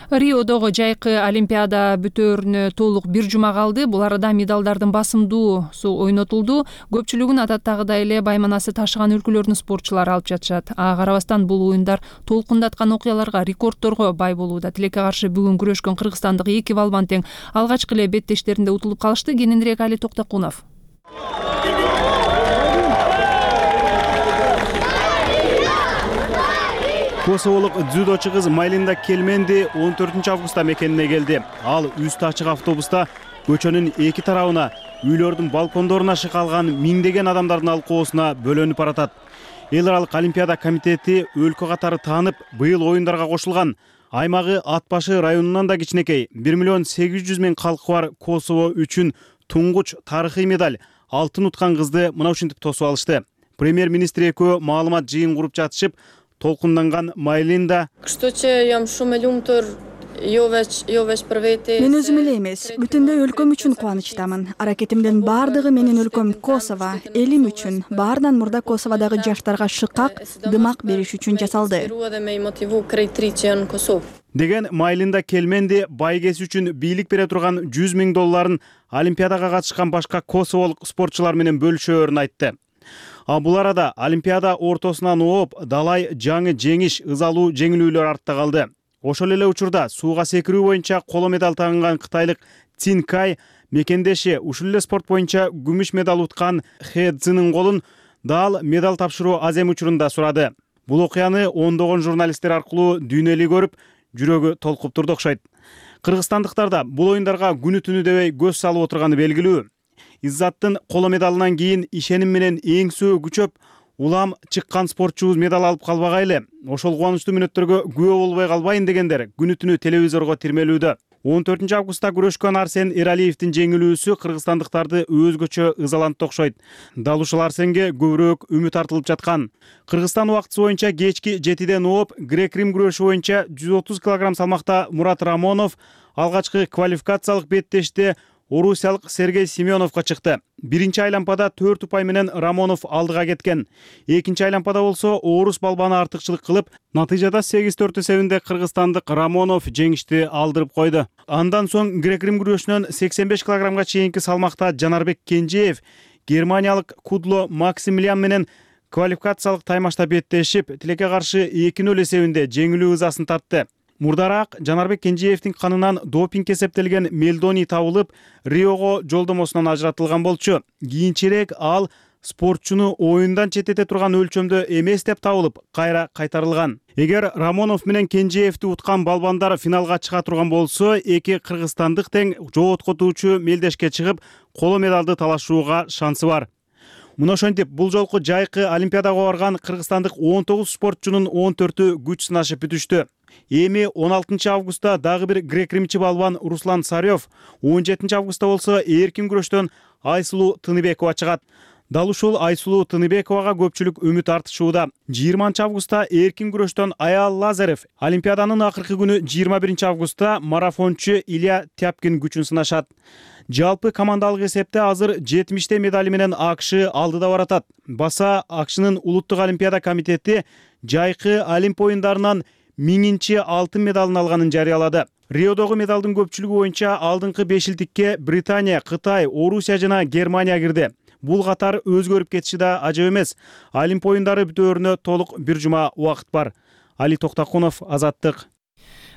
Риодогу жайкы Олимпиада бүтөөрүнө толук бир жума калды. Бул арада медалдардын басымдуусу ойнотулду. Көпчүлүгүн адаттагыдай эле байманасы ташыган өлкөлөрдүн спортчулары алып жатышат. Ага карабастан бул оюндар толкундаткан окуяларга, рекордторго бай болууда. Тилекке каршы бүгүн күрөшкөн кыргызстандык эки балбан тең алгачкы эле беттештеринде утулуп калышты. Кененирээк Али Токтокунов. Косоволук дзюдочу кыз Майлинда Келменди он төртүнчү августта мекенине келди. Ал үстү ачык автобуста көчөнүн эки тарабына, үйлөрдүн балкондоруна шыкалган миңдеген адамдардын алкоосуна бөлөнүп баратат. Эл аралык Олимпиада комитети өлкө катары таанып, быйыл оюндарга кошулган. Аймагы ат башы районунан да кичинекей, бир миллион сегиз жүз миң калкы бар Косово үчүн туңгуч тарыхый медаль, алтын уткан кызды мына ушинтип тосуп алышты. Премьер-министр экөө маалымат жыйын куруп жатышып, толкунданган Майлинда мен өзүм эле эмес, бүтүндөй өлкөм үчүн кубанычтамын. Аракетимдин баардыгы менин өлкөм Косово, элим үчүн, баарынан мурда Косоводогу жаштарга шыкак, дымак бериш үчүн жасалды деген Майлинда Келменди байгеси үчүн бийлик бере турган жүз миң долларын Олимпиадага катышкан башка косоволук спортчулар менен бөлүшөөрүн айтты. А бул арада Олимпиада ортосунан ооп, далай жаңы жеңиш, ызалуу жеңилүүлөр артта калды. Ошол эле учурда сууга секирүү боюнча коло медаль тагынган кытайлык Цин Кай мекендеши ушул эле спорт боюнча күмүш медаль уткан Хэ Цзинин колун дал медаль тапшыруу азем учурунда сурады. Бул окуяны ондогон журналисттер аркылуу дүйнө эли көрүп, жүрөгү толкуп турду окшойт. Кыргызстандыктар да бул оюндарга күнү түнү дебей көз салып отурганы белгилүү. Иззаттын коло медалынан кийин ишеним менен эңсөө күчөп, улам чыккан спортчубуз медаль алып калбагайлы, ошол кубанычтуу мүнөттөргө күбө болбой калбайын дегендер күнү түнү телевизорго тирмелүүдө. он төртүнчү августта күрөшкөн Арсен Эралиевдин жеңилүүсү кыргызстандыктарды өзгөчө ызалантты окшойт. Дал ушул Арсенге көбүрөөк үмүт артылып жаткан. Кыргызстан убактысы боюнча кечки жетиден ооп, грек-рим күрөшү боюнча жүз отуз килограмм салмакта Мурат Рамонов алгачкы квалификациялык беттеште орусиялык Сергей Семеновго чыкты. Биринчи айланпада төрт упай менен Рамонов алдыга кеткен. Экинчи айланпада болсо орус балбаны артыкчылык кылып, натыйжада сегиз төрт эсебинде кыргызстандык Рамонов жеңишти алдырып койду. Андан соң грек-рим күрөшүнөн сексен беш килограммга чейинки салмакта Жанарбек Кенжеев германиялык Кудло Максимилиан менен квалификациялык таймашта беттешип, тилекке каршы эки нөл эсебинде жеңилүү ызасын тартты. Мурдараак Жанарбек Кенжеевдин канынан допинг эсептелген мелдоний табылып, Риого жолдомосунан ажыратылган болчу. Кийинчерээк ал спортчуну оюндан четтете турган өлчөмдө эмес деп табылып, кайра кайтарылган. Эгер Рамонов менен Кенжеевди уткан балбандар финалга чыга турган болсо, эки кыргызстандык тең жооткотуучу мелдешке чыгып, коло медалды талашууга шансы бар. Мына ошентип, бул жолку жайкы Олимпиадага барган кыргызстандык он тогуз спортчунун он төртү күч сынашып бүтүштү. Эми он алтынчы августта дагы бир грек-римчи балбан Руслан Сарёв, он жетинчи августта болсо эркин күрөштөн Айсулуу Тыныбекова чыгат. Дал ушул Айсулуу Тыныбековага көпчүлүк үмүт артышууда. жыйырманчы августта эркин күрөштөн Аял Лазарев, Олимпиаданын акыркы күнү жыйырма биринчи августта марафончу Илья Тяпкин күчүн сынашат. Жалпы командалык эсепте азыр жетимиштей медали менен АКШ алдыда баратат. Баса АКШнын улуттук олимпиада комитети жайкы Олимп оюндарынан миңинчи алтын медалын алганын жарыялады. Риодогу медалдын көпчүлүгү боюнча алдыңкы бешилдикке Британия, Кытай, Орусия жана Германия кирди. бул катар өзгөрүп кетиши да ажап эмес. Олимп оюндары бүтөөрүнө толук бир жума убакыт бар. Али Токтакунов, Азаттык.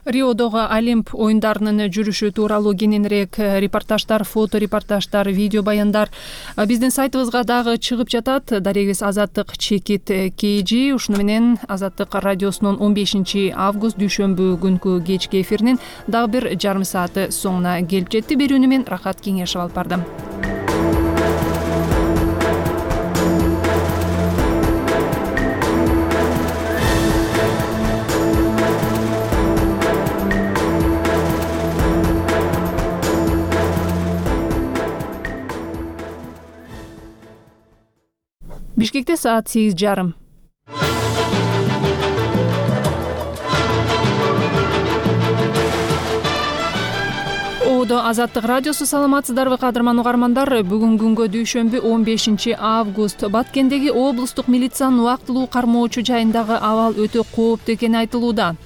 Риодогу Олимп оюндарынын жүрүшү тууралуу кененирээк репортаждар, фото репортаждар, видео баяндар биздин сайтыбызга дагы чыгып жатат. Дарегибиз Азаттык чекит kg. Ушуну менен Азаттык радиосунун он бешинчи август дүйшөмбү күнкү кечки эфиринин дагы бир жарым сааты соңуна келип жетти. Берүүнү мен Рахат Кеңешов алып бардым. Бишкекте саат сегиз жарым. Оодо Азаттык радиосу, саламатсыздарбы кадырман угармандар? Бүгүн күнгө дүйшөмбү он бешинчи август. Баткендеги облустук милициянын убактылуу кармоочу жайындагы абал өтө кооптуу экени айтылууда.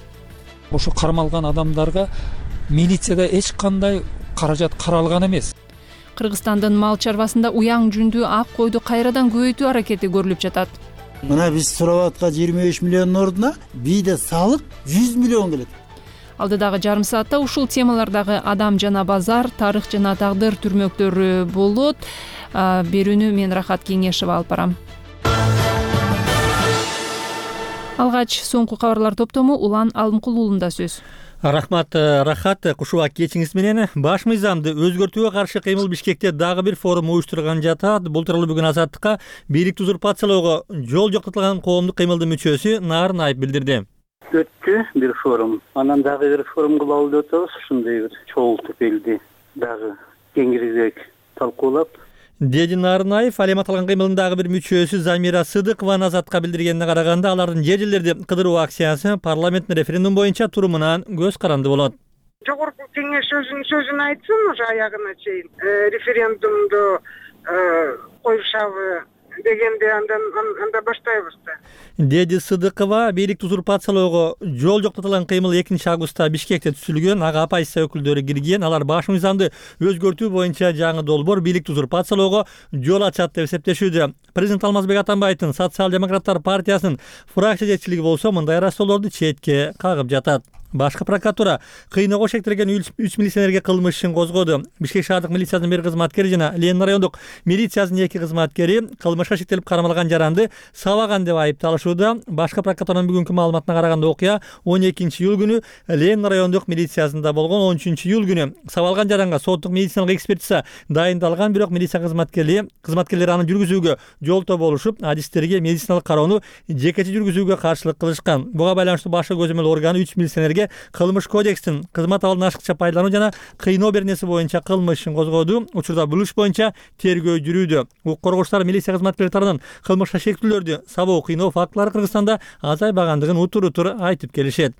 Ошо кармалган адамдарга милицияда эч кандай каражат каралган эмес. Кыргызстандын мал чарбасында уяң жүндүү ак койду кайрадан көбөйтүү аракети көрүлүп жатат. Мына биз сурап аткан жыйырма беш миллиондун ордуна бийде салык жүз миллион келет. Алдыдагы жарым саатта ушул темалардагы адам жана базар, тарых жана тагдыр түрмөктөрү болот. Берүүнү мен Рахат Кеңешов алып барам. Алгач соңку кабарлар топтому Улан Алымкулуулунда сөз. Рахмат, Рахат. Кушуба кечиңиз менен баш мыйзамды өзгөртүүгө каршы кыймыл Бишкекте дагы бир форум уюштурган жатат. Бул тууралуу бүгүн Азаттыкка бийликти узурпациялоого жол жоктотулган коомдук кыймылдын мүчөсү Нарын Айып билдирди. Өттү бир форум. Анан дагы бир форум кылалы деп атабыз. Ушундай бир чогултуп элди дагы кеңирээк талкуулап. Деди Нарынаев. Ал эми аталган кыймылдын дагы бир мүчөсү Замира Сыдыкованын Азаттыкка билдиргенине караганда, алардын жер жерлерди кыдыруу акциясы парламенттин референдум боюнча турумунан көз каранды болот. Жогорку кеңеш өзүнүн сөзүн айтсын, уже аягына чейин референдумду коюшабы дегенде андан анда баштайбыз да. Деди Сыдыкова бийликти узурпациялоого жол жоктотулган кыймыл экинчи августта Бишкекте түзүлгөн. Ага оппозиция өкүлдөрү кирген. Алар баш мыйзамды өзгөртүү боюнча жаңы долбоор бийликти узурпациялоого жол ачат деп эсептешүүдө. Президент Алмазбек Атамбаевдин Социал-демократтар партиясынын фракция жетекчилиги болсо мындай рассоолорду четке кагып жатат. Башкы прокуратура кыйноого шектелген үч милиционерге кылмыш ишин козгоду. Бишкек шаардык милициясынын бир кызматкери жана Ленин райондук милициясынын эки кызматкери кылмышка шектелип кармалган жаранды сабаган деп айыпталышууда. Башкы прокуратуранын бүгүнкү маалыматына караганда окуя он экинчи июль күнү Ленин райондук милициясында болгон. он үчүнчү июль күнү сабалган жаранга соттук медициналык экспертиза дайындалган, бирок милиция кызматкерлери кызматкерлери аны жүргүзүүгө жолтоо болушуп, адистерге медициналык кароону жекече жүргүзүүгө каршылык кылышкан. Буга байланыштуу башкы көзөмөл органы үч милиционерге кылмыш кодекстин кызмат абалын ашыкча пайдалануу жана кыйноо бернеси боюнча кылмыш ишин козгоду. Учурда бул иш боюнча тергөө жүрүүдө. Укук коргоочулар милиция кызматкерлери тарабынан кылмышка шектүүлөрдү, сабоо, кыйноо фактылары Кыргызстанда азайбагандыгын утур-утур айтып келишет.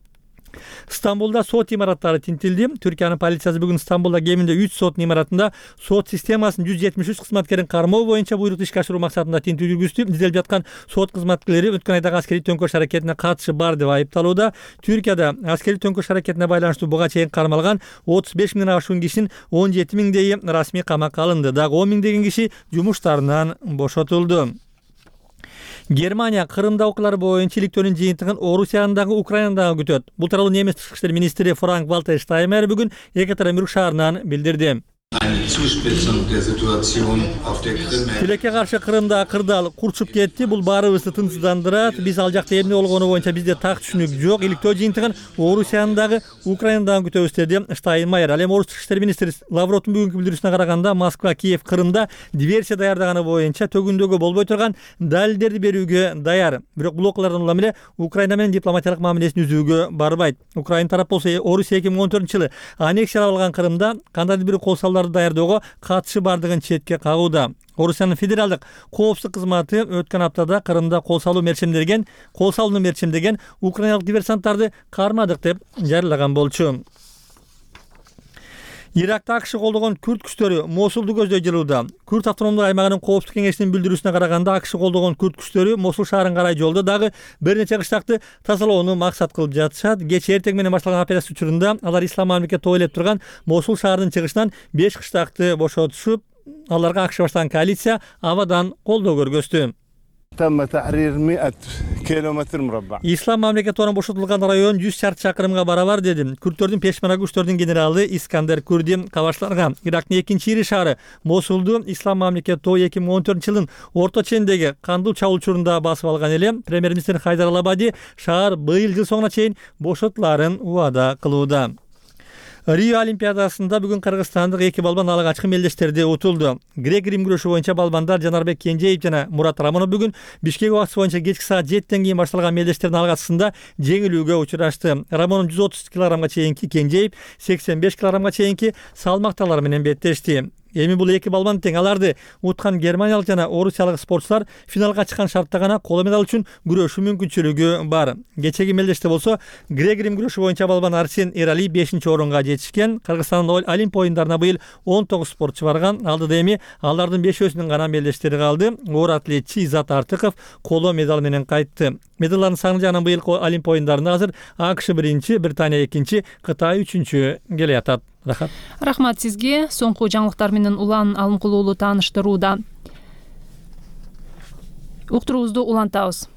Стамбулда сот имараттары тинтилди. Түркиянын полициясы бүгүн Стамбулда кеминде үч сот имаратында сот системасынын жүз жетимиш үч кызматкерин кармоо боюнча буйрукту ишке ашыруу максатында тинтүү жүргүздү. Изделип жаткан сот кызматкерлери өткөн айдагы аскерий төңкөрүш аракетине катышы бар деп айыпталууда. Түркияда аскерий төңкөрүш аракетине байланыштуу буга чейин кармалган отуз беш миңден ашуун кишинин он жети миңдейи расмий камакка алынды. Дагы он миңдеген киши жумуштарынан бошотулду. Германия Кырымда окуялар боюнча иликтөөнүн жыйынтыгын Орусияны дагы Украинаны дагы күтөт. Бул тууралуу немис тышкы иштер министри Франк Вальтер Штайнмайер бүгүн Екатеринбург шаарынан билдирди. Тилекке каршы Кырымда кырдаал курчуп кетти. Бул баарыбызды тынчсыздандырат. Биз ал жакта эмне болгону боюнча бизде так түшүнүк жок. Иликтөө жыйынтыгын Орусияны дагы Украинаны дагы күтөбүз деди Штайнмайер. Ал эми Орус тышкы иштер министри Лавровдун бүгүнкү билдирүүсүнө караганда, Москва, Киев Кырымда диверсия даярдаганы боюнча төгүндөгө болбой турган далилдерди берүүгө даяр. Бирок бул окуялардан улам эле Украина менен дипломатиялык мамилесин үзүүгө барбайт. Украина тарап болсо Орусия эки миң он төртүнчү жылы аннексиялап алган Кырымда кандайдыр бир кол салууларды даярдөөгө катышы бардыгын четке кагууда. Орусиянын федералдык коопсуздук кызматы өткөн аптада Кырымда кол салуу мерчемдеген, кол салууну мерчемдеген украиналык диверсанттарды кармадык деп жарыялаган болчу. Иракта АКШ колдогон күрд күчтөрү Мосулду көздөй жылууда. Күрд автономдук аймагынын коопсуздук кеңешинин билдирүүсүнө караганда, АКШ колдогон күрд күчтөрү Мосул шаарын карай жолдо дагы бир нече кыштакты тазалоону максат кылып жатышат. Кечээ эртең менен башталган операция учурунда алар Ислам мамлекети тойлоп турган Мосул шаарынын чыгышынан беш кыштакты бошотушуп, аларга ак баштаган коалиция абадан колдоо көргөздү. Ислам мамлекети бошотулган район жүз шарчы чакырымга барабар деди. Күрдтөрдүн пешмерга күчтөрдүн генералы Искандер Курди кабачларга Ирактын экинчи ири шаары Мосулду Ислам мамлекети эки миң он төртүнчү жылдын орто чендеги кандуу чабуул учурунда басып алган эле. Премьер-министр Хайдар Алабади шаар быйыл жыл соңуна чейин бошотуларын убада кылууда. Рио Олимпиадасында бүгүн кыргызстандык эки балбан алгачкы мелдештерди утулду. Грек-рим күрөшү боюнча балбандар Жанарбек Кенжеев жана Мурат Рамонов бүгүн Бишкек убакыты боюнча кечки саат жетиден кийин башталган мелдештердин алгачкысында жеңилүүгө учурашты. Рамонов жүз отуз килограммга чейинки, Кенжеев сексен беш килограммга чейинки салмакталар менен беттешти. Эми бул эки балбан тең. Аларды уткан германиялык жана орусиялык спортчулар финалга чыккан шартта гана коло медаль үчүн күрөшүү мүмкүнчүлүгү бар. Кечеги мелдеште болсо грек-рим күрөшү боюнча балбан Арсен Эрали бешинчи орунга жетишкен. Кыргызстандын Олимп оюндарына быйыл он тогуз спортчу барган. Алдыда эми алардын бешөөсүнүн гана мелдештери калды. Оор атлетчи Изат Артыков коло медаль менен кайтты. Медалдардын саны жагынан быйылкы Олимп оюндарында азыр АКШ биринчи, Британия экинчи, Кытай үчүнчү келе жатат. Рахмат. Рахмат сизге. Соңку жаңылыктар менен Улан Алымкулуулу тааныштырууда. Уктуруубузду улантабыз.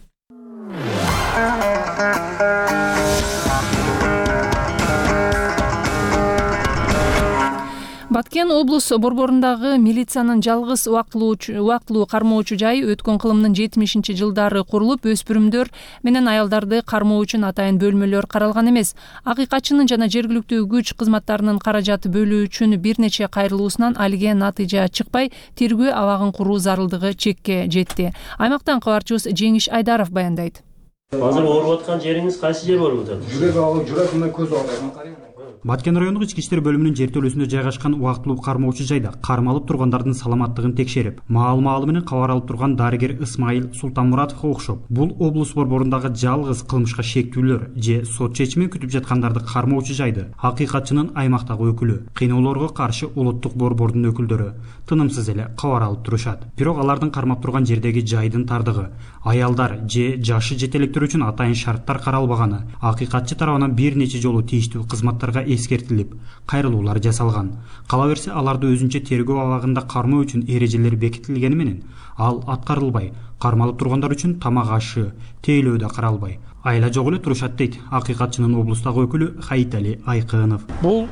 Баткен облус борборундагы милициянын жалгыз убактылуу кармоочу жайы өткөн кылымдын жетимишинчи жылдары курулуп, өспүрүмдөр менен аялдарды кармоо үчүн атайын бөлмөлөр каралган эмес. Акыйкатчынын жана жергиликтүү күч кызматтарынын каражаты бөлүү үчүн бир нече кайрылуусунан алиге натыйжа чыкпай, тергөө абагын куруу зарылдыгы чекке жетти. Аймактан кабарчыбыз Жеңиш Айдаров баяндайт. Азыр ооруп аткан жериңиз кайсы жер болуп атат? Жүрөк агып, жүрөгүмө көз агып. Баткен райондук ички иштер бөлүмүнүн жертөлөсүндө жайгашкан убактылуу кармоочу жайда кармалып тургандардын саламаттыгын текшерип, маал-маалы менен кабар алып турган дарыгер Исмайыл Султанмуратовго окшоп, бул облус борборундагы жалгыз кылмышка шектүүлөр же сот чечимин күтүп жаткандарды кармоочу жайды акыйкатчынын аймактагы өкүлү, кыйноолорго каршы улуттук борбордун өкүлдөрү тынымсыз эле кабар алып турушат. Бирок алардын кармап турган жердеги жайдын тардыгы, аялдар же жашы жете электер үчүн атайын шарттар каралбаганы акыйкатчы тарабынан бир нече жолу тийиштүү кызматтарга эскертилип, кайрылуулар жасалган. Кала берсе, аларды өзүнчө тергөө абагында кармоо үчүн эрежелер бекитилгени менен ал аткарылбай, кармалып тургандар үчүн тамак ашы, тейлөө да каралбай, айла жок эле турушат дейт акыйкатчынын облустагы өкүлү Хаитали Айкынов. Бул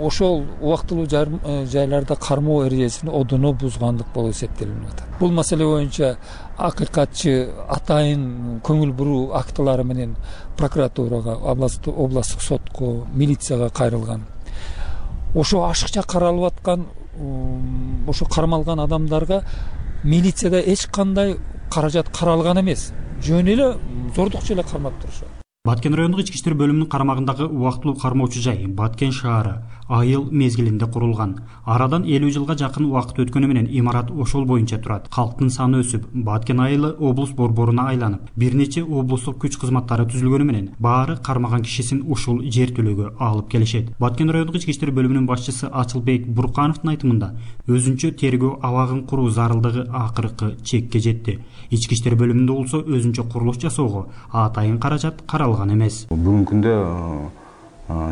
ошол убактылуу жайларда кармоо эрежесин одоно бузгандык болуп эсептелип атат. Бул маселе боюнча акыйкатчы атайын көңүл буруу актылары менен прокуратурага, областтык сотко, милицияга кайрылган. Ошо ашыкча каралып аткан, ошо кармалган адамдарга милицияда эч кандай каражат каралган эмес. Жөн эле зордукчу эле кармап турушат. Баткен райондук ички иштер бөлүмүнүн карамагындагы убактылуу кармоочу жай Баткен шаары айыл мезгилинде курулган. Арадан элүү жылга жакын убакыт өткөнү менен имарат ошол боюнча турат. Калктын саны өсүп, Баткен айылы облус борборуна айланып, бир нече облустук күч кызматтары түзүлгөнү менен баары кармаган кишисин ушул жертөлөгө алып келишет. Баткен райондук ички иштер бөлүмүнүн башчысы Ачылбек Буркановдун айтымында, өзүнчө тергөө абагын куруу зарылдыгы акыркы чекке жетти. Ички иштер бөлүмүндө болсо өзүнчө курулуш жасоого атайын каражат каралган эмес. Бүгүнкү күндө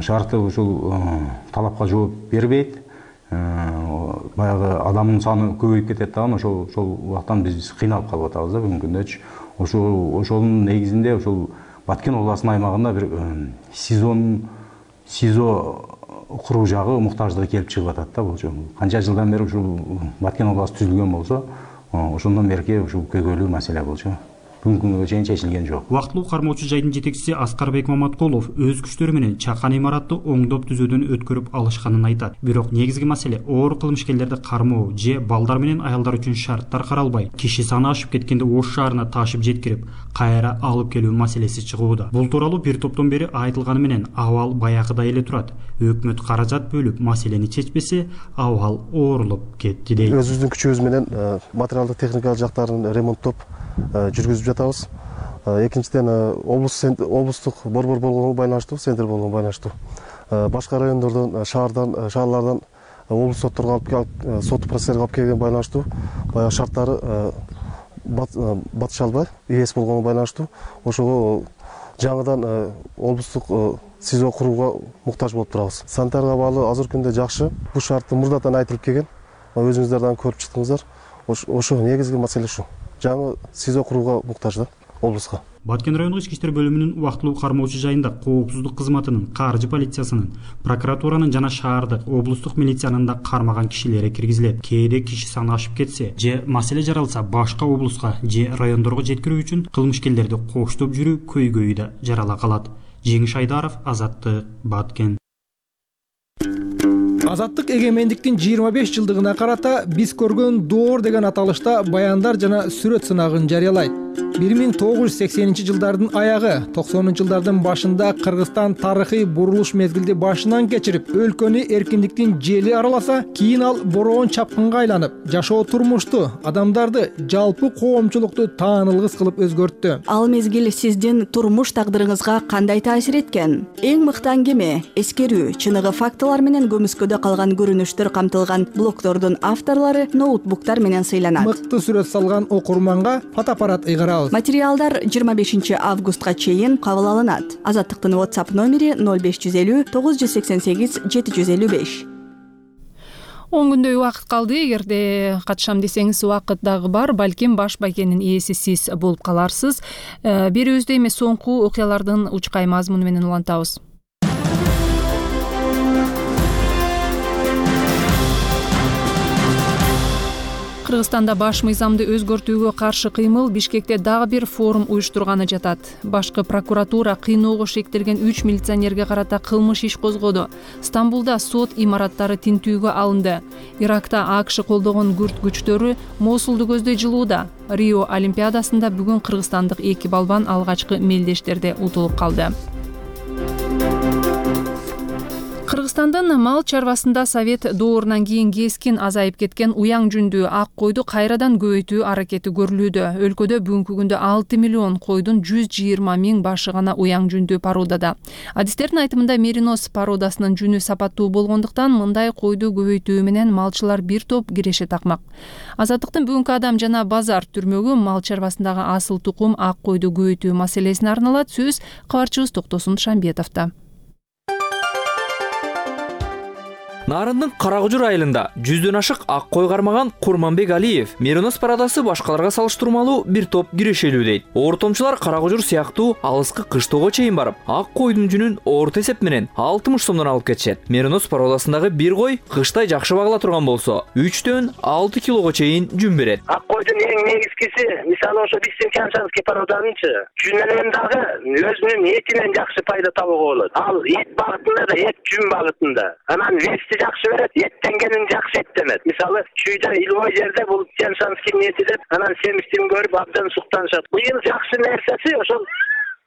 шарты ушул талапка жооп бербейт. Баягы адамдын саны көбөйүп кетет дагы, ошол ошол убактан биз кыйналып калып атабыз да бүгүнкү күндө. Ошол ошонун негизинде ушул Баткен областынын аймагында бир сезон СИЗО куруу жагы муктаждыгы келип чыгып атат да. Бул канча жылдан бери ушул Баткен областы түзүлгөн болсо, ошондон берки ушул көйгөйлүү маселе болчу. Бүгүнкү күнгө чейин чечилген жок. Убактылуу кармоочу жайдын жетекчиси Аскарбек Маматкулов өз күчтөрү менен чакан имаратты оңдоп түзөөдөн өткөрүп алышканын айтат. Бирок негизги маселе оор кылмышкерлерди кармоо же балдар менен аялдар үчүн шарттар каралбай, киши саны ашып кеткенде Ош шаарына ташып жеткирип, кайра алып келүү маселеси чыгууда. Бул тууралуу бир топтон бери айтылганы менен абал баягыдай эле турат. Өкмөт каражат бөлүп маселени чечпесе, абал оорулуп кетти дейт. Өзүбүздүн күчүбүз менен материалдык техникалык жактарын ремонттоп жүргүзүп жатабыз. Экинчиден облустук борбор болгонго байланыштуу, центр болгонго байланыштуу. Башка райондордон, шаардан, шаарлардан облус сотторго алып келип, сот процесстерге алып келген байланыштуу. Баягы шарттары батыша албай, эс болгонго байланыштуу. Ошого жаңыдан облустук СИЗО курууга муктаж болуп турабыз. Санитарга баалуу азыркы күндө жакшы. Бул шарт мурдатан айтылып келген. өзүңүздөр дагы көрүп чыктыңыздар. Ошо негизги маселе ушу. Жаңы СИЗО курууга муктаж да облуска. Баткен райондук ички иштер бөлүмүнүн убактылуу кармоочу жайында коопсуздук кызматынын, каржы полициясынын, прокуратуранын жана шаардык, облустук милициянын да кармаган кишилери киргизилет. Кээде киши саны ашып кетсе же маселе жаралса башка облуска же райондорго жеткирүү үчүн кылмышкерлерди коштоп жүрүү көйгөйү да жарала калат. Жеңиш Айдаров, Азаттык, Баткен. Азаттык эгемендиктин жыйырма беш жылдыгына карата биз көргөн доор деген аталышта баяндар жана сүрөт сынагын жарыялайт. бир миң тогуз жүз сексенинчи жылдардын аягы, токсонунчу жылдардын башында Кыргызстан тарыхый бурулуш мезгилди башынан кечирип, өлкөнү эркиндиктин жели араласа, кийин ал бороон чапкынга айланып, жашоо турмушту, адамдарды, жалпы коомчулукту таанылгыс кылып өзгөрттү. Ал мезгил сиздин турмуш тагдырыңызга кандай таасир эткен? Эң мыкты аңгеме, эскерүү, чыныгы фактылар менен көмүскөдө калган көрүнүштөр камтылган блогдордун авторлору ноутбуктар менен сыйланат. Мыкты сүрөт салган окурманга фотоаппарат ыйгарабыз. Материалдар жыйырма бешинчи августка чейин кабыл алынат. Азаттыктын WhatsApp номери ноль беш жүз элүү тогуз жүз сексен сегиз жети жүз элүү беш. он күндөй убакыт калды. Эгерде катышам десеңиз убакыт дагы бар. Балким баш байкенин ээси сиз болуп каларсыз. Берүүбүздө эми соңку окуялардын учкай мазмуну менен улантабыз. Кыргызстанда баш мыйзамды өзгөртүүгө каршы кыймыл Бишкекте дагы бир форум уюштурганы жатат. Башкы прокуратура кыйноого шектелген үч милиционерге карата кылмыш иш козгоду. Стамбулда сот имараттары тинтүүгө алынды. Иракта АКШ колдогон күрд күчтөрү Мосулду көздөй жылууда. Рио Олимпиадасында бүгүн кыргызстандык эки балбан алгачкы мелдештерде утулуп калды. Кыргызстандын мал чарбасында совет доорунан кийин кескин азайып кеткен уяң жүндүү ак койду кайрадан көбөйтүү аракети көрүлүүдө. Өлкөдө бүгүнкү күндө алты миллион койдун жүз жыйырма миң башы гана уяң жүндүү породада. Адистердин айтымында меринос породасынын жүнү сапаттуу болгондуктан мындай койду көбөйтүү менен малчылар бир топ киреше такмак. Азаттыктын бүгүнкү адам жана базар түрмөгү мал чарбасындагы асыл тукум ак койду көбөйтүү маселесине арналат. Сөз кабарчыбыз Токтосун Шамбетовдо. Нарындын Карагужур айылында жүздөн ашык ак кой кармаган Курманбек Алиев меринос пародасы башкаларга салыштырмалуу бир топ кирешелүү дейт. Ортомчулар Карагужур сыяктуу алыскы кыштоого чейин барып, ак койдун жүнүн орто эсеп менен алтымыш сомдон алып кетишет. Меринос пародасындагы бир кой кыштай жакшы багыла турган болсо, үчтөн алты килого чейин жүн берет. Ак койдун эң негизгиси, мисалы ошо Бисенчанский пароданычы жүнүнөн дагы өзүнүн этинен жакшы пайда табууга болот. Ал эт багытында да, эт жүн багытында. Анан вести жакшы берет, эттенгенин жакшы эттемет. Мисалы, чүйдө илбой жерде бул Тяншанский эти деп, анан семиштин көрүп абдан суктанышат. Быйыл жакшы нерсеси ошол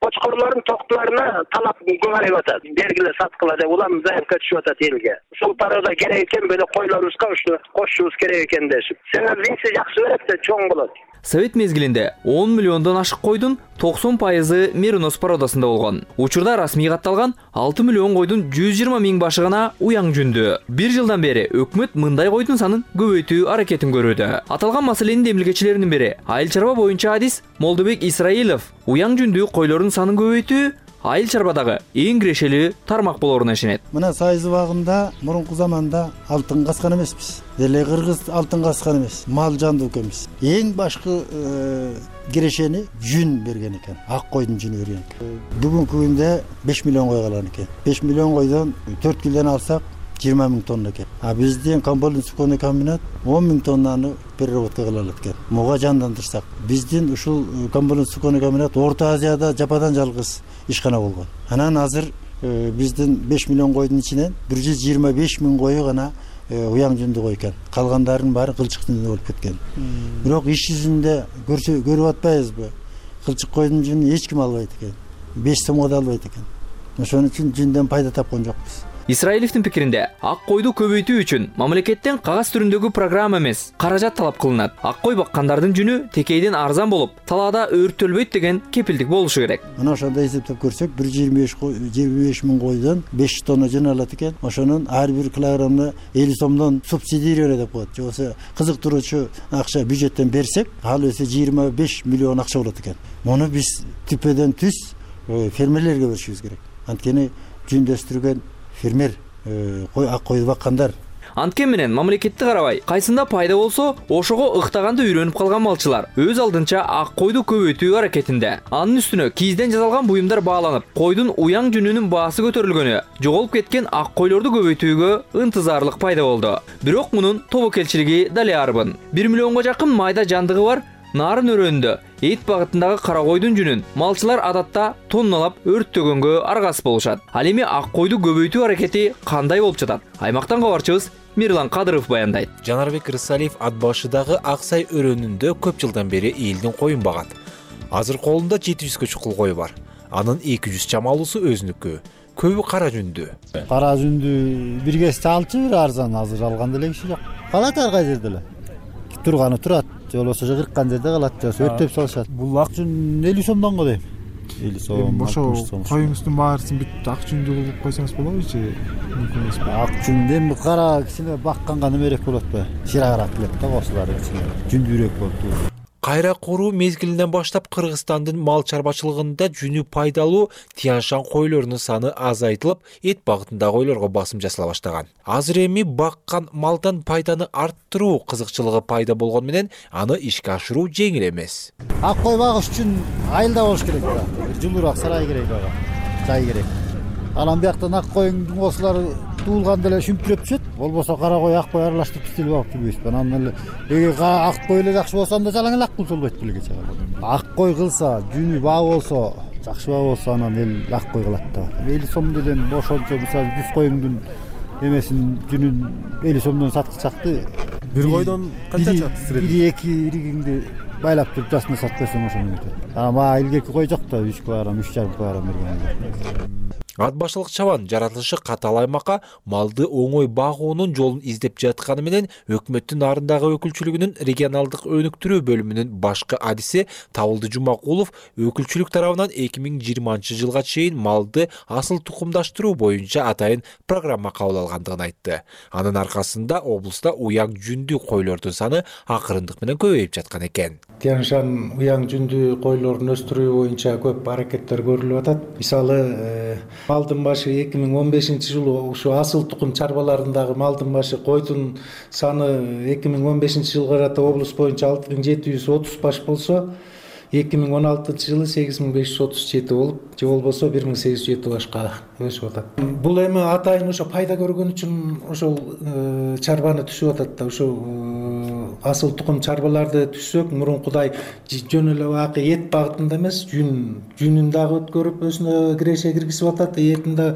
кочкорлордун токтуларына талап көбөйүп атат. Бергиле саткыла деп улам заявка түшүп атат элге. Ушул парода керек экен, böyle койлорубузга ушу кошушубуз керек экен дешип. Сенен венси жакшы берет да чоң болот. Совет мезгилинде он миллиондон ашык койдун токсон пайызы меринос породасында болгон. Учурда расмий катталган алты миллион койдун жүз жыйырма миң башы гана уяң жүндүү. Бир жылдан бери өкмөт мындай койдун санын көбөйтүү аракетин көрүүдө. Аталган маселенин демилгечилеринин бири айыл чарба боюнча адис Молдобек Исраилов уяң жүндүү койлордун санын көбөйтүү айыл чарбадагы эң кирешелүү тармак болоруна ишенет. Мына сайыз убагында мурунку заманда алтын каскан эмеспиз. Деле кыргыз алтын каскан эмес, мал жандуу экенбиз. Эң башкы кирешени жүн берген экен. Ак койдун жүнү берген экен. Бүгүнкү күндө беш миллион кой калган экен. беш миллион койдон төрт килден алсак жыйырма миң тонна экен. А биздин Камболдун суконый комбинат он миң тоннаны переработка кыла алат экен. Муга жандандырсак, биздин ушул Камболдун суконый комбинат Орто Азияда жападан жалгыз ишкана болгон. Анан азыр биздин беш миллион койдун ичинен бир жүз жыйырма беш миң кою гана уяң жүндүү кой экен. Калгандарынын баары кылчык жүндүү болуп кеткен. Бирок иш жүзүндө көрүп атпайбызбы? Кылчык койдун жүнүн эч ким албайт экен. беш сомго да албайт экен. Ошон үчүн жүндөн пайда тапкан жокпуз. Исраилевдин пикиринде ак койду көбөйтүү үчүн мамлекеттен кагаз түрүндөгү программа эмес, каражат талап кылынат. Ак кой баккандардын жүнү текейден арзан болуп, талаада өрттөлбөйт деген кепилдик болушу керек. Мына ошондой эсептеп көрсөк, бир жүз жыйырма беш миң койдон беш тонна жүн алат экен. Ошонун ар бир килограммына элүү сомдон субсидировать деп коет. Же болбосо кызыктыруучу акча бюджеттен берсек, ал өсө жыйырма беш миллион акча болот экен. Муну биз түпөдөн түз фермерлерге беришибиз керек. Анткени жүн өстүргөн фермер, кой ак койду баккандар. Анткени менен мамлекетти карабай, кайсында пайда болсо, ошого ыктаганды үйрөнүп калган малчылар өз алдынча ак койду көбөйтүү аракетинде. Анын үстүнө кийизден жасалган буюмдар бааланып, койдун уяң жүнүнүн баасы көтөрүлгөнү жоголуп кеткен ак койлорду көбөйтүүгө ынтызарлык пайда болду. Бирок мунун тобокелчилиги дале арбын. бир миллионго жакын майда жандыгы бар нарын өрөөнүндө эт багытындагы кара койдун жүнүн малчылар адатта тонналап өрттөгөнгө аргасыз болушат. Ал эми ак койду көбөйтүү аракети кандай болуп жатат? Аймактан кабарчыбыз Мирлан Кадыров баяндайт. Жанарбек Рысалиев ат башыдагы Аксай өрөөнүндө көп жылдан бери элдин коюн багат. Азыр колунда жети жүзгө чукул кою бар. Анын эки жүз чамалуусу өзүнүкү. Көбү кара жүндүү. Кара жүндүү бир кесте алчу бир арзан, азыр алган деле киши жок. Калат ар кай жерде эле. Турганы турат, же болбосо кырккан жерде калат, же өртөп салышат. Бул ак жүн элүү сомдон го дейм. элүү сом. Ошо коюңуздун баарысын бүт ак жүндүү кылып койсоңуз болобу же? Мүмкүн эмеспи? Ак жүндү эми кара кичине бакканга немерээк болот да. Ширагыраак келет да косулары кичине. Жүндүүрөөк болот. Кайра куруу мезгилинен баштап Кыргызстандын мал чарбачылыгында жүнү пайдалуу Тяншан койлорунун саны азайтылып, эт багытындагы койлорго басым жасала баштаган. Азыр эми баккан малдан пайданы арттыруу кызыкчылыгы пайда болгон менен аны ишке ашыруу жеңил эмес. Ак кой багыш үчүн айылда болуш керек да. Жылуураак сарай керек ага. Жай керек. Анан бияктан ак коюңдун косулары туулганда эле шүмпүрөп түшөт. Болбосо кара кой, ак кой аралаштырып тизилип алып жүрбөйсүзбү. Анан эле эгер ак кой эле жакшы болсо анда жалаң эле ак кул болбойт белге чыга. Ак кой кылса, жүнү баа болсо, жакшы баа болсо анан эл ак кой кылат да. элүү сом делен ошончо мисалы жүз коюңдун эмесин жүнүн элүү сомдон саткычакты. Бир койдон канча чат сиретип? бир эки иригиңди байлап туруп жасына сатып койсоң ошону өтөт. Анан мага илгерки кой жок да, үч барам, үч жарым барам берген. Ат башылык чабан жаратылышы катал аймакка малды оңой багуунун жолун издеп жатканы менен өкмөттүн нарындагы өкүлчүлүгүнүн регионалдык өнүктүрүү бөлүмүнүн башкы адиси Табылды Жумакулов өкүлчүлүк тарабынан эки миң жыйырманчы жылга чейин малды асыл тукумдаштыруу боюнча атайын программа кабыл алгандыгын айтты. Анын аркасында облуста уяң жүндүү койлордун саны акырындык менен көбөйүп жаткан экен. Тяншан уяң жүндүү койлорун өстүрүү боюнча көп аракеттер көрүлүп атат. Мисалы малдын башы эки миң он бешинчи жылы ушу асыл тукум чарбаларындагы малдын башы койдун саны эки миң он бешинчи жылга карата облус боюнча алты миң жети жүз отуз баш болсо, эки миң он алтынчы жылы сегиз миң беш жүз отуз жети болуп, же болбосо бир миң сегиз жүз жети башка өсүп атат. Бул эми атайын ошо пайда көргөн үчүн ошол чарбаны түшүп атат да. Ошо асыл тукум чарбаларды түшсөк, мурункудай жөн эле баакы эт багытында эмес, жүн жүнүн дагы өткөрүп өзүнө киреше киргизип атат, этин да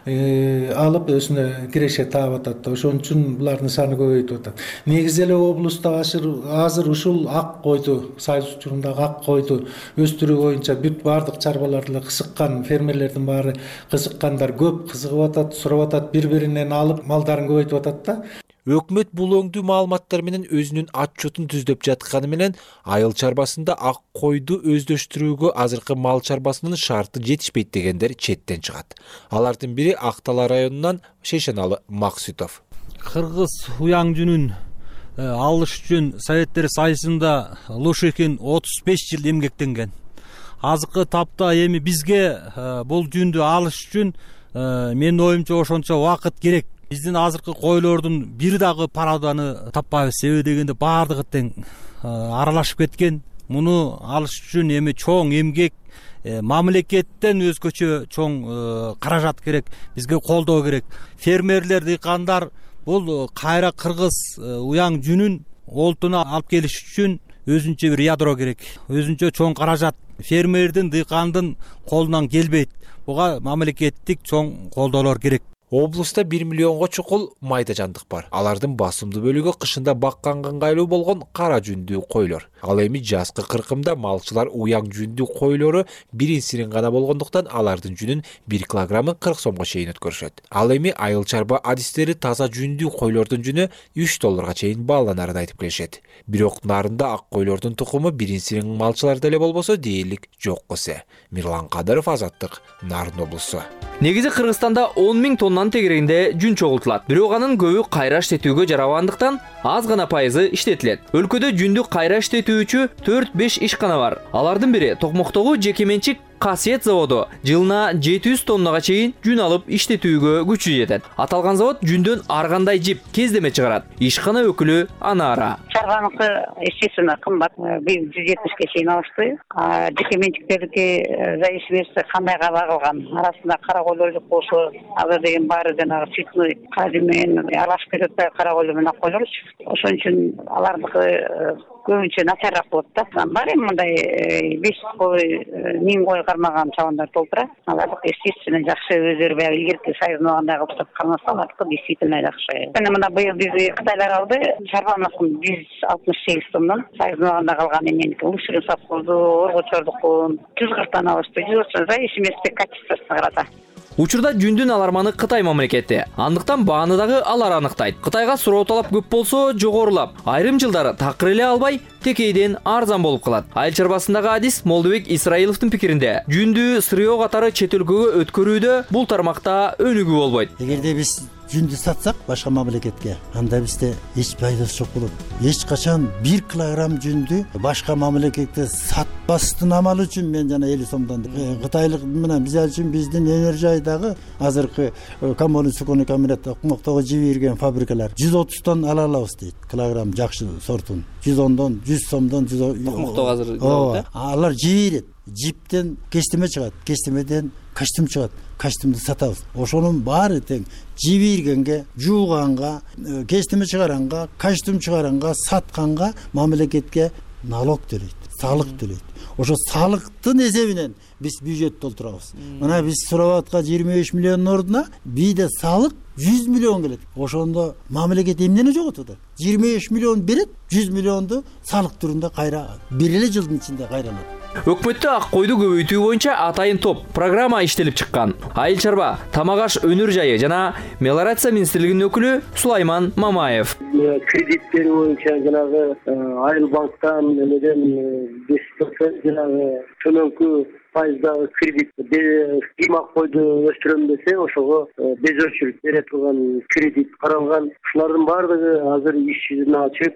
алып өзүнө киреше таап атат. Ошон үчүн булардын саны көбөйүп атат. Негизи эле облуста азыр ушул ак койду, Сайыз учурундагы ак койду өстүрүү боюнча бүт баардык чарбаларды кызыккан фермерлердин баары кызыккандар көп, кызыгып атат, сурап атат, бири-биринен алып малдарын көбөйтүп атат да. Өкмөт бул өңдүү маалыматтар менен өзүнүн отчетун түздөп жатканы менен айыл чарбасында ак койду өздөштүрүүгө азыркы мал чарбасынын шарты жетишпейт дегендер четтен чыгат. Алардын бири Актала районунан Шейшеналы Максутов. Кыргыз уяң жүнүн алыш үчүн Советтер Союзунда Лушекин отуз беш жыл эмгектенген. Азыркы тапта эми бизге бул жүндү алыш үчүн менин оюмча ошончо убакыт керек. Биздин азыркы койлордун бир дагы параданы таппайбыз. Себеби дегенде баардыгы тең аралашып кеткен. Муну алыш үчүн эми чоң эмгек, мамлекеттен өзгөчө чоң каражат керек, бизге колдоо керек. Фермерлер, дыйкандар бул кайра кыргыз уяң жүнүн олтуна алып келиш үчүн өзүнчө бир ядро керек, өзүнчө чоң каражат фермердин, дыйкандын колунан келбейт. Буга мамлекеттик чоң колдоолор керек. Облуста бир миллионго чукул майда жандык бар. Алардын басымдуу бөлүгү кышында бакканга ыңгайлуу болгон кара жүндүү койлор. Ал эми жазкы кыркымда малчылар уяң жүндүү койлору бирин сирин гана болгондуктан алардын жүнүн бир килограммы кырк сомго чейин өткөрүшөт. Ал эми айыл чарба адистери таза жүндүү койлордун жүнү үч долларга чейин бааланарын айтып келишет. Бирок нарында ак койлордун тукуму бирин сирин малчыларда эле болбосо дээрлик жок эсе. Мирлан Кадыров, Азаттык, Нарын облусу. Негизи Кыргызстанда он миң тоннанын тегерегинде жүн чогултулат. Бирок анын көбү кайра иштетүүгө жарабагандыктан аз гана пайызы иштетилет. Өлкөдө жүндү кайра иштетүүчү төрт беш ишкана бар. Алардын бири Токмоктогу жеке менчик касиет заводу жылына жети жүз тоннага чейин жүн алып иштетүүгө күчү жетет. Аталган завод жүндөн ар кандай жип, кездеме чыгарат. Ишкана өкүлү Анара. Чарганыкы естественно кымбат. Биз жүз жетимишке чейин алышты. Жеке менчиктердики зависимости кандайга багылган. Арасында кара койлор жок болсо, азыр деген баары жанагы цветной кадиммен аралашып кетет да кара койлор менен ак койлорчу. Ошон үчүн алардыкы көбүнчө начарраак болот да. Бар эми мындай беш кой, миң кой кармаган чабандар толтура. Алардык естественно жакшы, өздөрү баягы илгерки сайзынагандай кылып сатып кармаса, алардык действительно жакшы. Мына мына быйыл бизди Кытайлар алды. Чарбаныкын жүз алтымыш сегиз тоннан, сайзынаганда калган эменики лучший совхозду, Оргочордукун жүз кырктан алышты. жүз отуз зависимости качествосуна карата. Учурда жүндүн аларманы Кытай мамлекети. Андыктан бааны дагы алар аныктайт. Кытайга суроо талап көп болсо жогорулап, айрым жылдары такыр эле албай, текейден арзан болуп калат. Айыл чарбасындагы адис Молдобек Исраиловдун пикиринде, жүндү сырыоо катары чет өлкөгө өткөрүүдө бул тармакта өнүгүү болбойт. Эгерде биз жүндү сатсак башка мамлекетке, анда бизде эч пайдасы жок болот. Эч качан бир килограмм жүндү башка мамлекетке сатпастын амалы үчүн мен жана элүү сомдон кытайлык менен биз үчүн биздин Энержайдагы азыркы коммунист суконный комбинатта кумактоого жиби берген фабрикалар жүз отуздон ала алабыз дейт. Килограмм жакшы сортун жүз ондон, жүз сомдон, жүз кумактоого азыр алар жиби берет. Жиптен кестеме чыгат, кестемеден костюм чыгат, костюмду сатабыз. Ошонун баары тең жиби бергенге, жууганга, кестеме чыгаранга, костюм чыгаранга, сатканга мамлекетке налог төлөйт, салык төлөйт. Ошо салыктын эсебинен биз бюджет толтурабыз. Мына биз сурап аткан жыйырма беш миллиондун ордуна бийде салык жүз миллион келет. Ошондо мамлекет эмнени жоготот? жыйырма беш миллион берет, жүз миллионду салык түрүндө кайра бир эле жылдын ичинде кайранат. Өкмөттө ак койду көбөйтүү боюнча атайын топ программа иштелип чыккан. Айыл чарба, тамак аш өнөр жайы жана мелиорация министрлигинин өкүлү Сулайман Мамаев. Кредиттер боюнча жанагы Айыл банктан эмеден беш процент жанагы төмөнкү пайыздагы кредит кыймак койду өстүрөм десе, ошого без очередь бере турган кредит каралган. Ушулардын баардыгы азыр иш жүзүнө ачып,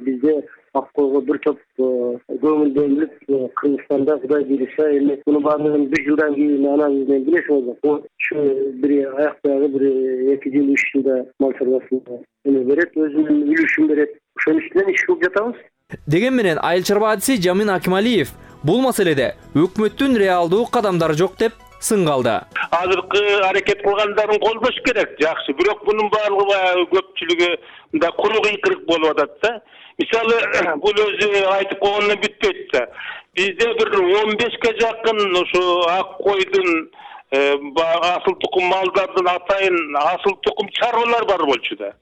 бизде ак койго бир топ көңүл бөлүнүп, Кыргызстанда Кудай буйруса эми муну баардыгын бир жылдан кийин анализ менен билесиз. Ушу бир аякта бир эки жыл үч жылда мал чарбасына эме берет, өзүнүн үлүшүн берет. Ошонун үстүнөн иш кылып жатабыз. Деген менен айыл чарба адиси Жамин Акималиев бул маселеде өкмөттүн реалдуу кадамдары жок деп сын калды. Азыркы аракет кылгандарын колдош керек, жакшы. Бирок мунун баардыгы баягы көпчүлүгү мындай куру кыйкырык болуп атат да. Мисалы, бул өзү айтып койгондон бүтпөйт да. Бизде бир он бешке жакын ушу ак койдун асыл тукум малдардын атайын асыл тукум чарбалар бар болчу да.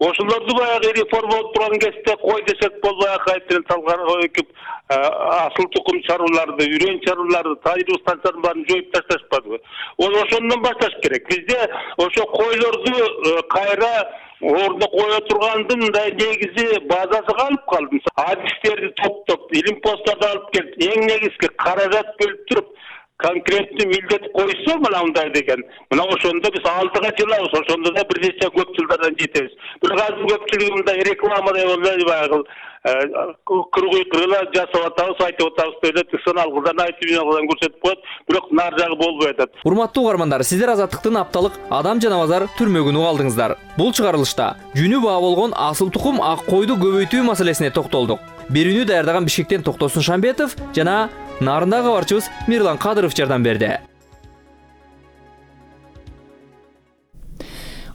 Ошолорду баягы реформалап турган кезде кой десек болбой кайтырын салган өкүп асыл тукум чарбаларды, үрөн чарбаларды, тайруу станцияларын баарын жоюп ташташпадыбы? Ошондон башташ керек. Бизде ошо койлорду кайра ордуна кое тургандын мындай негизи базасы калып калды. Адистерди топтоп, илим посттарды алып келип, эң негизги каражат бөлүп туруп, конкреттүү милдет койсо мына мындай деген. Мына ошондо биз алдыга жылабыз, ошондо да бир нече көп жылдардан жетебиз. Бирок азыр көпчүлүгү мындай рекламадай болду, баягы кыргый кыргыла жасап атабыз, айтып атабыз деп сыналгыдан айтып жагыдан көрсөтүп коет, бирок нар жагы болбой атат. Урматтуу угармандар, сиздер Азаттыктын апталык Адам жана базар түрмөгүн угалдыңыздар. Бул чыгарылышта жүнү баа болгон асыл тукум ак койду көбөйтүү маселесине токтолдук. Берүүнү даярдаган Бишкектен Токтосун Шамбетов жана Нарындагы кабарчыбыз Мирлан Кадыров жардам берди.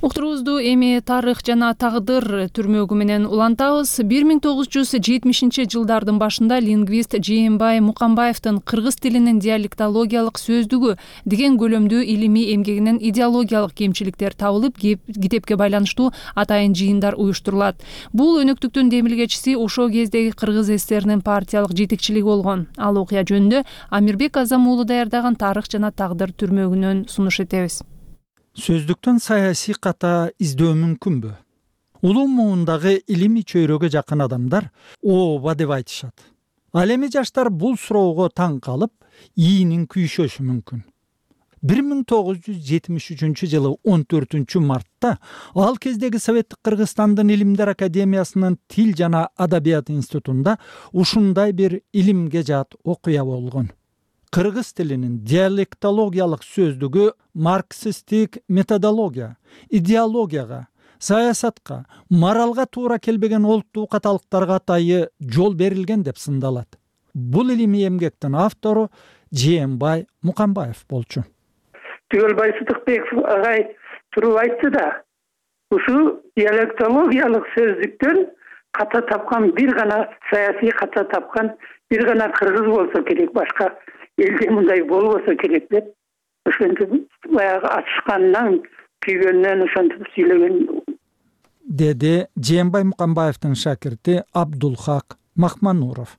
Уктуруубузду эми тарых жана тагдыр түрмөгү менен улантабыз. бир миң тогуз жүз жетимишинчи жылдардын башында лингвист Жээнбай Мукамбаевдин кыргыз тилинин диалектологиялык сөздүгү деген көлөмдүү илимий эмгегинен идеологиялык кемчиликтер табылып, китепке байланыштуу атайын жыйындар уюштурулат. Бул өнөктүктүн демилгечиси ошол кездеги Кыргыз ССРнин партиялык жетекчилиги болгон. Ал окуя жөнүндө Амирбек Азам уулу даярдаган тарых жана тагдыр түрмөгүнөн сунуш этебиз. Сөздүктөн саясий ката издөө мүмкүнбү? Улуу муундагы илимий чөйрөгө жакын адамдар ооба деп айтышат. Ал эми жаштар бул суроого таң калып, ийинин күйшөшү мүмкүн. бир миң тогуз жүз жетимиш үчүнчү жылы он төртүнчү мартта ал кездеги Советтик Кыргызстандын Илимдер академиясынын Тил жана Адабият институтунда ушундай бир илимге жаат окуя болгон. кыргыз тилинин диалектологиялык сөздүгү марксисттик методология, идеологияга, саясатка, моралга туура келбеген олуттуу каталыктарга атайы жол берилген деп сындалат. Бул илимий эмгектин автору Жээнбай Мукамбаев болчу. Түгөлбай Сыдыкбеков агай туруп айтты да, ушул диалектологиялык сөздүктөн ката тапкан бир гана саясий ката тапкан бир гана кыргыз болсо керек, башка элде мындай болбосо керек деп ошентип баягы ачышканынан күйгөнүнөн ошентип сүйлөгөн, деди Жээнбай Мукамбаевдин шакирти Абдулхак Махмануров.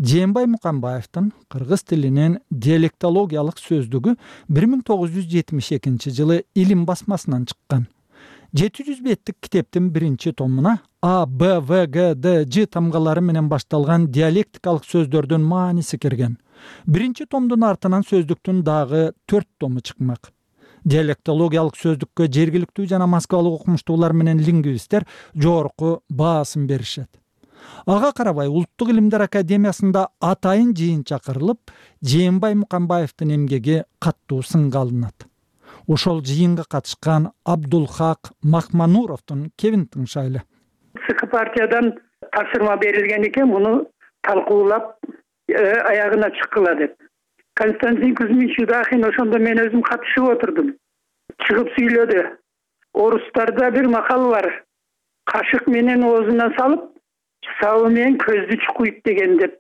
Жээнбай Мукамбаевдин кыргыз тилинин диалектологиялык сөздүгү бир миң тогуз жүз жетимиш экинчи жылы Илим басмасынан чыккан. жети жүз беттик китептин биринчи томуна А, Б, В, Г, Д, Ж тамгалары менен башталган диалектикалык сөздөрдүн мааниси кирген. Биринчи томдун артынан сөздүктүн дагы төрт тому чыкмак. Диалектологиялык сөздүккө жергиликтүү жана москвалык окумуштуулар менен лингвисттер жогорку баасын беришет. Ага карабай Улуттук илимдер академиясында атайын жыйын чакырылып, Жээнбай Мукамбаевдин эмгеги каттуу сынга алынат. Ошол жыйынга катышкан Абдулхак Махмануровдун кебин тыңшайлы. ЦК партиядан тапшырма берилген экен, муну талкуулап аягына чыккыла деп. Константин Кузьмич Юдахин ошондо мен өзүм катышып отурдум. Чыгып сүйлөдү. Орустарда бир макал бар. Кашык менен оозуна салып, сабы менен көздү чукуйт деген деп.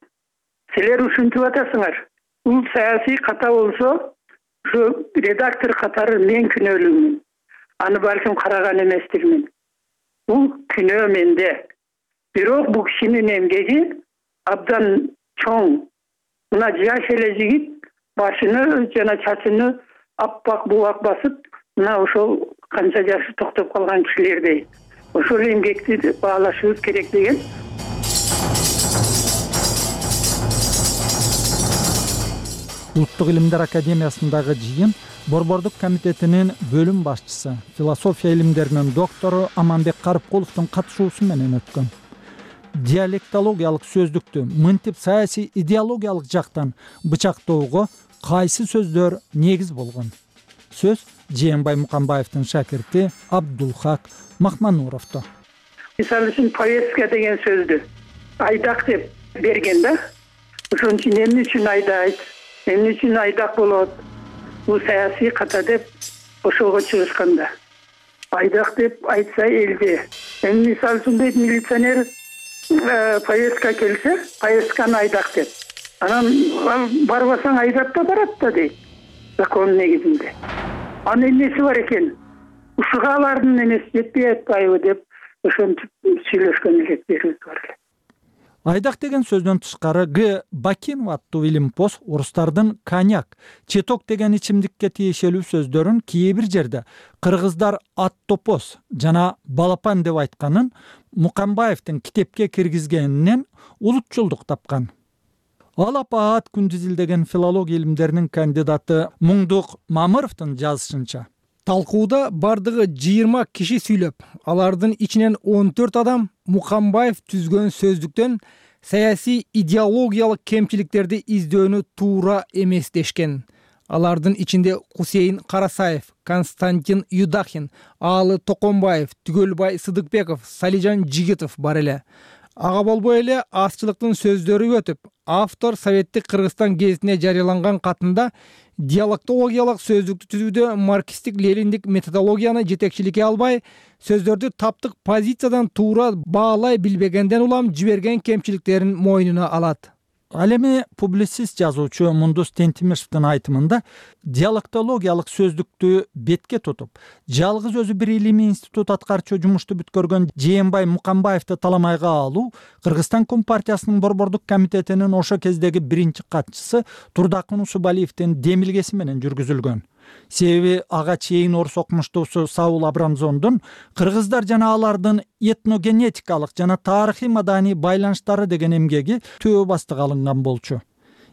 Силер ушинтип атасыңар. Бул саясий ката болсо, ушу редактор катары мен күнөөлүүмүн. Аны балким караган эместирмин. Бул күнөө менде. Бирок бул кишинин эмгеги абдан чоң. Мына жаш эле жигит башыны жана чачыны аппак бубак басып, мына ошол канча жашы токтоп калган кишилердей. Ошол эмгекти баалашыбыз керек деген. Улуттук илимдер академиясындагы жыйын Борбордук комитетинин бөлүм башчысы, философия илимдеринин доктору Аманбек Карыпкуловдун катышуусу менен өткөн. Диалектологиялык сөздүктү мынтип саясий идеологиялык жактан бычактоого кайсы сөздөр негиз болгон? Сөз Жээнбай Мукамбаевдин шакирти Абдулхак Махмануровдо. Мисалы үчүн повестка деген сөздү айдак деп берген да. Ошон үчүн эмне үчүн айдайт, эмне үчүн айдак болот? Бул саясий ката деп ошого чыгышканда. Айдак деп айтса элде. Эми мисалы үчүн дейт милиционер повестка келсе, повестканы айдак деп. Анан барбасаң айдап да барат да дейт. Закон негизинде. Анын эмнеси бар экен? Ушуга алардын эмеси жетпей атпайбы деп ошентип сүйлөшкөн электерибиз бар эле. Айдак деген сөздөн тышкары Г. Бакинов аттуу илимпоз орустардын коньяк, четок деген ичимдикке тиешелүү сөздөрүн кээ бир жерде кыргыздар аттопоз жана балапан деп айтканын Мукамбаевдин китепке киргизгенинен улутчулдук тапкан. Ал Апаат Күндүзүл деген филология илимдеринин кандидаты Муңдук Мамыровдун жазышынча, талкууда бардыгы жыйырма киши сүйлөп, алардын ичинен он төрт адам Мукамбаев түзгөн сөздүктөн саясий идеологиялык кемчиликтерди издөөнү туура эмес дешкен. Алардын ичинде Кусейин Карасаев, Константин Юдахин, Аалы Токонбаев, Түгөлбай Сыдыкбеков, Салижан Жигитов бар эле. Ага болбой эле азчылыктын сөздөрү өтүп, автор Советтик Кыргызстан гезитине жарыяланган катында диалектологиялык сөздүктү түзүүдө марксистик лениндик методологияны жетекчиликке албай, сөздөрдү таптык позициядан туура баалай билбегенден улам жиберген кемчиликтерин мойнуна алат. Ал эми публицист жазуучу Мундус Тентимишевдин айтымында диалектологиялык сөздүктү бетке тутуп, жалгыз өзү бир илимий институт аткарчу жумушту бүткөргөн Жээнбай Мукамбаевди таламайга алуу Кыргызстан Компартиясынын Борбордук комитетинин ошо кездеги биринчи катчысы Турдакын Усубалиевдин демилгеси менен жүргүзүлгөн. Себеби ага чейин орус окумуштуусу Саул Абрамзондун кыргыздар жана алардын этногенетикалык жана тарыхый маданий байланыштары деген эмгеги төбө бастык алынган болчу.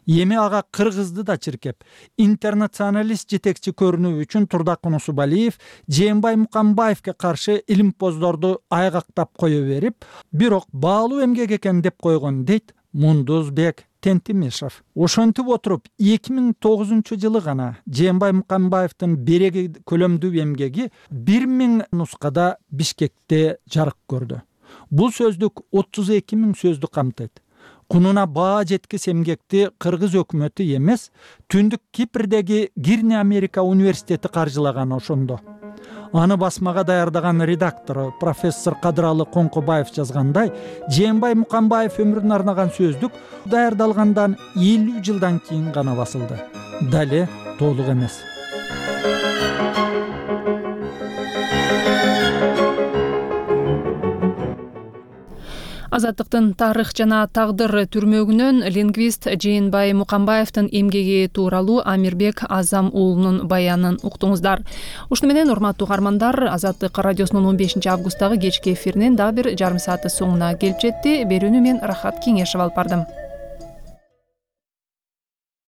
Эми ага кыргызды да чиркеп, интернационалист жетекчи көрүнүү үчүн Турдакын Усубалиев Жээнбай Мукамбаевге каршы илимпоздорду айгактап кое берип, бирок баалуу эмгек экен деп койгон дейт Мундузбек Тентимишев. Ошентип отуруп эки миң тогузунчу жылы гана Жээнбай Мукамбаевдин береги көлөмдүү эмгеги бир миң нускада Бишкекте жарык көрдү. Бул сөздүк отуз эки миң сөздү камтыйт. Кунуна баа жеткис эмгекти кыргыз өкмөтү эмес, Түндүк Кипрдеги Гирни Америка университети каржылаган ошондо. Аны басмага даярдаган редактору профессор Кадыралы Коңкобаев жазгандай, Жээнбай Мукамбаев өмүрүнө арнаган сөздүк даярдалгандан элүү жылдан кийин гана басылды. Дале толук эмес. Азаттыктын тарых жана тагдыр түрмөгүнөн лингвист Жээнбай Мукамбаевдин эмгеги тууралуу Амирбек Азам уулунун баянын уктуңуздар. Ушуну менен урматтуу угармандар, Азаттык радиосунун он бешинчи августтагы кечки эфиринин дагы бир жарым сааты соңуна келип жетти. Берүүнү мен Рахат Кеңешев алып бардым.